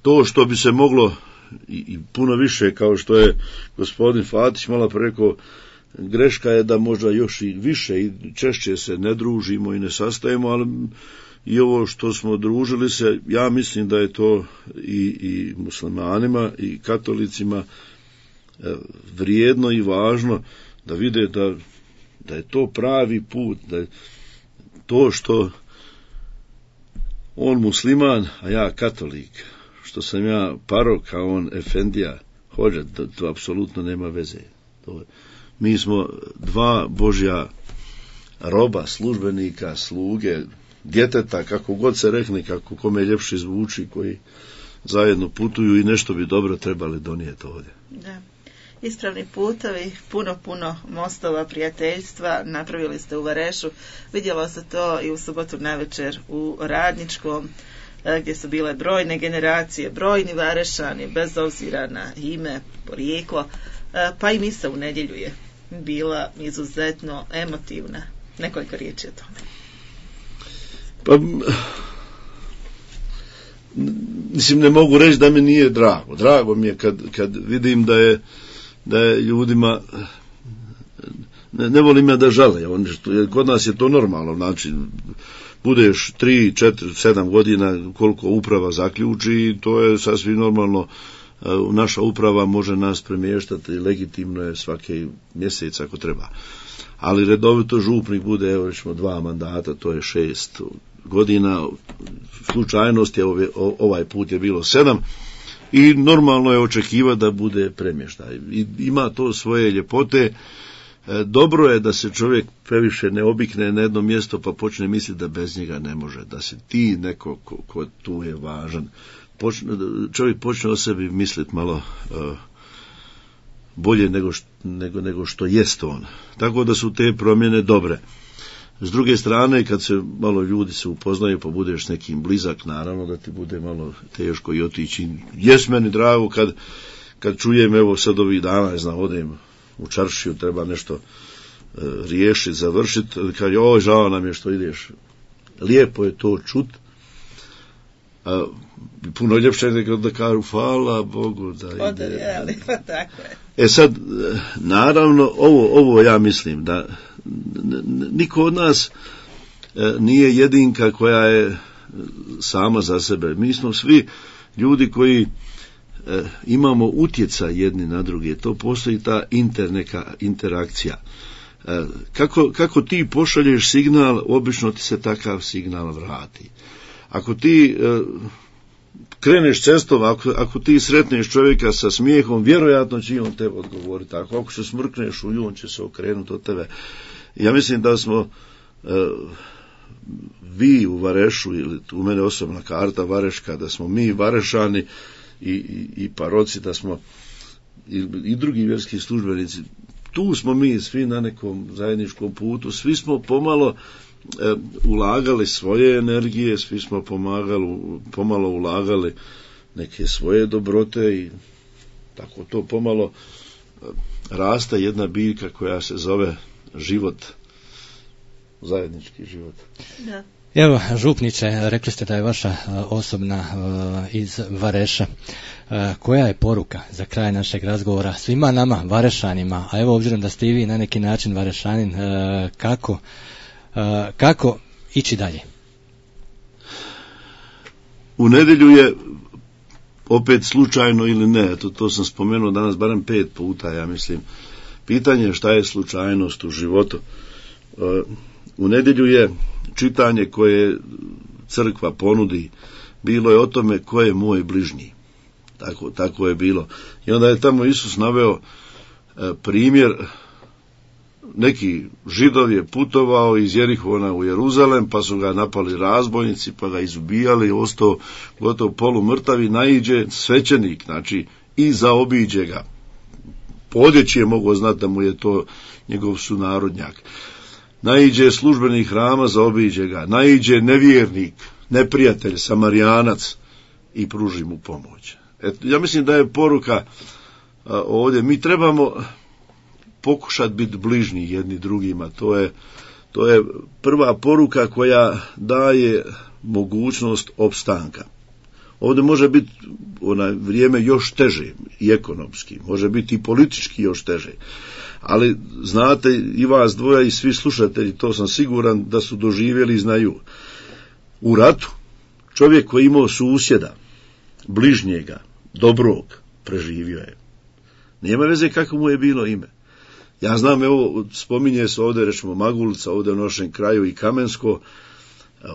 To što bi se moglo i puno više, kao što je gospodin Fatić malo rekao, greška je da možda još i više i češće se ne družimo i ne sastajemo, ali i ovo što smo družili se, ja mislim da je to i muslimanima i katolicima vrijedno i važno da vide da je to pravi put, da je to što on musliman, a ja katolik, što sam ja parok, a on efendija, hođa, to apsolutno nema veze. Mi smo dva Božja roba, službenika, sluge, djeteta, kako god se rekne, kako kome ljepše zvuči, koji zajedno putuju i nešto bi dobro trebali donijeti ovdje. Da. Ispravni putovi, puno mostova, prijateljstva napravili ste u Varešu. Vidjelo se to i u subotu navečer u Radničkom, gdje su bile brojne generacije, brojni Varešani, bez obzira na ime, porijeklo, pa i misa u nedjelju je bila izuzetno emotivna. Nekoliko riječi o tome. Pa, mislim, ne mogu reći da mi nije drago. Drago mi je kad vidim da je ljudima, ne volim ja da žale, kod nas je to normalno, znači budeš 3, 4, 7 godina koliko uprava zaključi, to je sasvim normalno. Naša uprava može nas premještati, legitimno je svaki mjesec ako treba. Ali redovito župnik bude, evo rećemo 2 mandata, to je 6 godina, slučajnost je ovaj put je bilo 7 i normalno je očekivati da bude premještaj. I ima to svoje ljepote. Dobro je da se čovjek previše ne obikne na jedno mjesto pa počne misliti da bez njega ne može, da se ti neko ko tu je važan, čovjek počne o sebi misliti malo bolje nego što jest on. Tako da su te promjene dobre. S druge strane, kad se malo ljudi se upoznaju pa budeš nekim blizak, naravno da ti bude malo teško i otići. Jes meni drago kad čujem, evo sad ovih dana, ne znam, odem u čaršiju, treba nešto riješiti, završiti, kad žao nam je što ideš. Lijepo je to čut. Puno ljepše nego da kažu hvala Bogu da ide. Tako je. Sad, naravno, ovo ja mislim da niko od nas nije jedinka koja je sama za sebe. Mi smo svi ljudi koji imamo utjecaj jedni na druge. To postoji ta neka interakcija. Kako ti pošalješ signal, obično ti se takav signal vrati. Ako ti kreneš cestom, ako ti sretneš čovjeka sa smijehom, vjerojatno će on tebe odgovoriti. Ako se smrkneš u nju, on će se okrenuti od tebe. Ja mislim da smo vi u Varešu, ili u mene osobna karta Vareška, da smo mi Varešani i paroci, da smo i drugi vjerski službenici, tu smo mi svi na nekom zajedničkom putu, svi smo ulagali svoje energije, svi smo pomalo ulagali neke svoje dobrote i tako to pomalo raste jedna biljka koja se zove život, zajednički život. Da. Evo, župniče, rekli ste da je vaša osobna iz Vareša. Koja je poruka za kraj našeg razgovora svima nama, Varešanima, a evo obzirom da ste i vi na neki način Varešanin, kako ići dalje? U nedjelju je opet slučajno ili ne, to sam spomenuo danas barem 5 puta, ja mislim. Pitanje je šta je slučajnost u životu. U nedjelju je čitanje koje crkva ponudi, bilo je o tome ko je moj bližnji. Tako je bilo. I onda je tamo Isus naveo primjer, neki Židov je putovao iz Jerihona u Jeruzalem, pa su ga napali razbojnici, pa ga izubijali, ostao gotovo polumrtav i naiđe svećenik, znači i zaobiđe ga. Po odjeći je mogao znati da mu je to njegov sunarodnjak. Naiđe službenik hrama, zaobiđe ga. Naiđe nevjernik, neprijatelj, Samarijanac i pruži mu pomoć. Ja mislim da je poruka ovdje, mi trebamo pokušati biti bližnji jedni drugima, to je prva poruka koja daje mogućnost opstanka. Ovdje može biti vrijeme još teže i ekonomski, može biti i politički još teže, ali znate i vas dvoja i svi slušatelji, to sam siguran da su doživjeli i znaju. U ratu čovjek koji imao susjeda, bližnjega, dobrog, preživio je. Nema veze kako mu je bilo ime. Ja znam, evo, spominje se ovdje, rečemo Magulca, ovdje u našem kraju i Kamensko,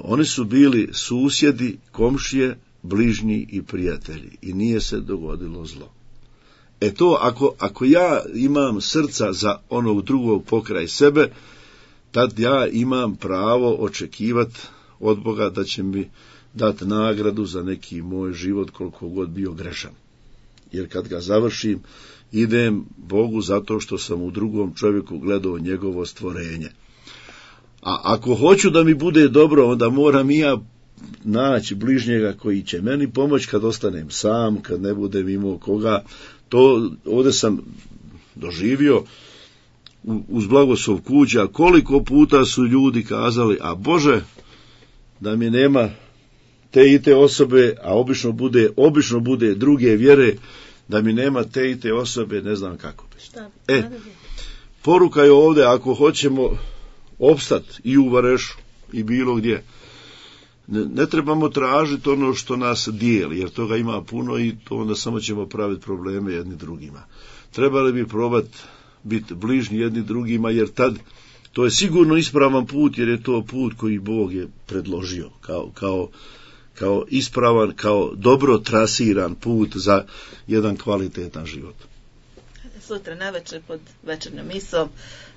oni su bili susjedi, komšije, bližnji i prijatelji i nije se dogodilo zlo. Ako ja imam srca za onog drugog pokraj sebe, tad ja imam pravo očekivati od Boga da će mi dati nagradu za neki moj život koliko god bio grešan. Jer kad ga završim, idem Bogu zato što sam u drugom čovjeku gledao njegovo stvorenje. A ako hoću da mi bude dobro, onda moram i ja naći bližnjega koji će meni pomoći kad ostanem sam, kad ne budem imao koga. To ovdje sam doživio uz blagoslov kuća, koliko puta su ljudi kazali, a Bože, da mi nema te i te osobe, a obično bude druge vjere, da mi nema te i te osobe, ne znam kako bi. Poruka je ovdje, ako hoćemo opstati i u Varešu i bilo gdje, ne trebamo tražiti ono što nas dijeli, jer toga ima puno i to onda samo ćemo praviti probleme jedni drugima. Trebali bi probati biti bližnji jedni drugima, jer tad to je sigurno ispravan put, jer je to put koji Bog je predložio kao ispravan, kao dobro trasiran put za jedan kvalitetan život. Sutra navečer pod večernjom misom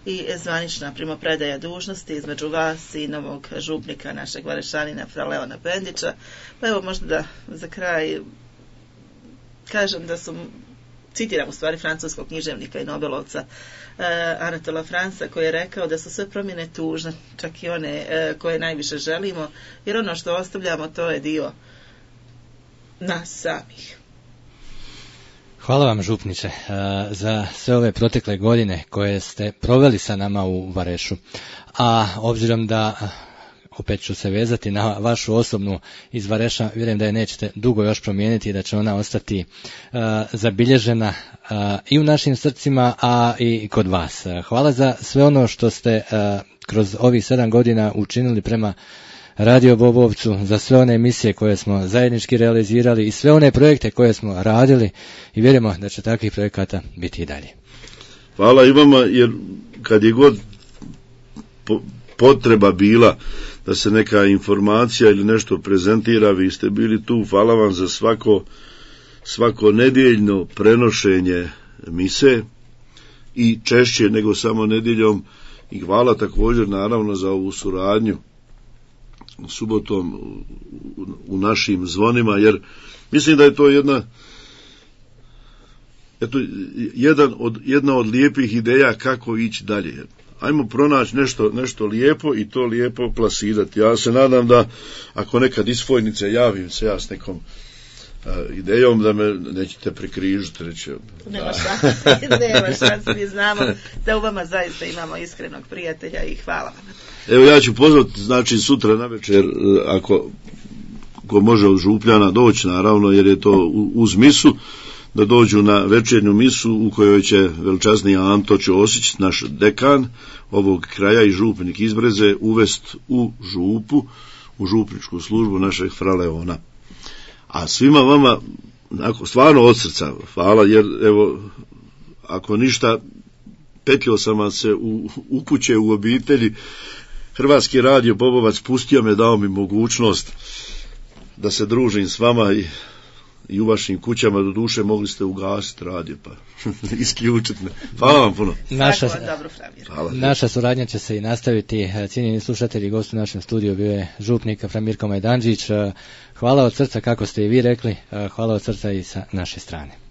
i zvanična primopredaja dužnosti između vas i novog župnika našeg Varešanina fra Leona Pendića. Pa evo možda da za kraj kažem da su, citiram u stvari francuskog književnika i nobelovca Anatola Franca, koji je rekao da su sve promjene tužne, čak i one koje najviše želimo, jer ono što ostavljamo to je dio nas samih. Hvala vam, župniče, za sve ove protekle godine koje ste proveli sa nama u Varešu. A obzirom da, opet ću se vezati na vašu osobnu iz Vareša, vjerujem da je nećete dugo još promijeniti i da će ona ostati zabilježena i u našim srcima, a i kod vas. Hvala za sve ono što ste kroz ovih 7 godina učinili prema Radio Bobovcu, za sve one emisije koje smo zajednički realizirali i sve one projekte koje smo radili i vjerujemo da će takvih projekata biti i dalje. Hvala i vama, jer kad je god potreba bila da se neka informacija ili nešto prezentira, vi ste bili tu. Hvala vam za svako nedjeljno prenošenje mise i češće nego samo nedjeljom, i hvala također naravno za ovu suradnju subotom u našim zvonima, jer mislim da je to jedna od lijepih ideja kako ići dalje. Ajmo pronaći nešto lijepo i to lijepo plasirati. Ja se nadam da ako nekad iz Fojnice javim se ja s nekom idejom da me nećete prekrižiti, reći. Nema šanse, mi znamo da u vama zaista imamo iskrenog prijatelja i hvala vam. Evo ja ću pozvati, znači sutra navečer, ako ko može od Župljana doći, naravno, jer je to uz misu, da dođu na večernju misu u kojoj će veličasni Anto Ćosić, naš dekan ovog kraja i župnik iz Breze, uvest u župu, u župničku službu našeg fra Leona. A svima vama, stvarno od srca hvala, jer evo, ako ništa, petljao sam vam se u kuće, u obitelji. Hrvatski radio Popovac pustio me, dao mi mogućnost da se družim s vama i u vašim kućama. Do duše mogli ste ugasiti radio, pa isključiti me. Hvala vam puno. Naša suradnja će se i nastaviti. Cijenjeni slušatelji, gost u našem studiju bio je župnik Framirko Majdanđić. Hvala od srca, kako ste i vi rekli, hvala od srca i sa naše strane.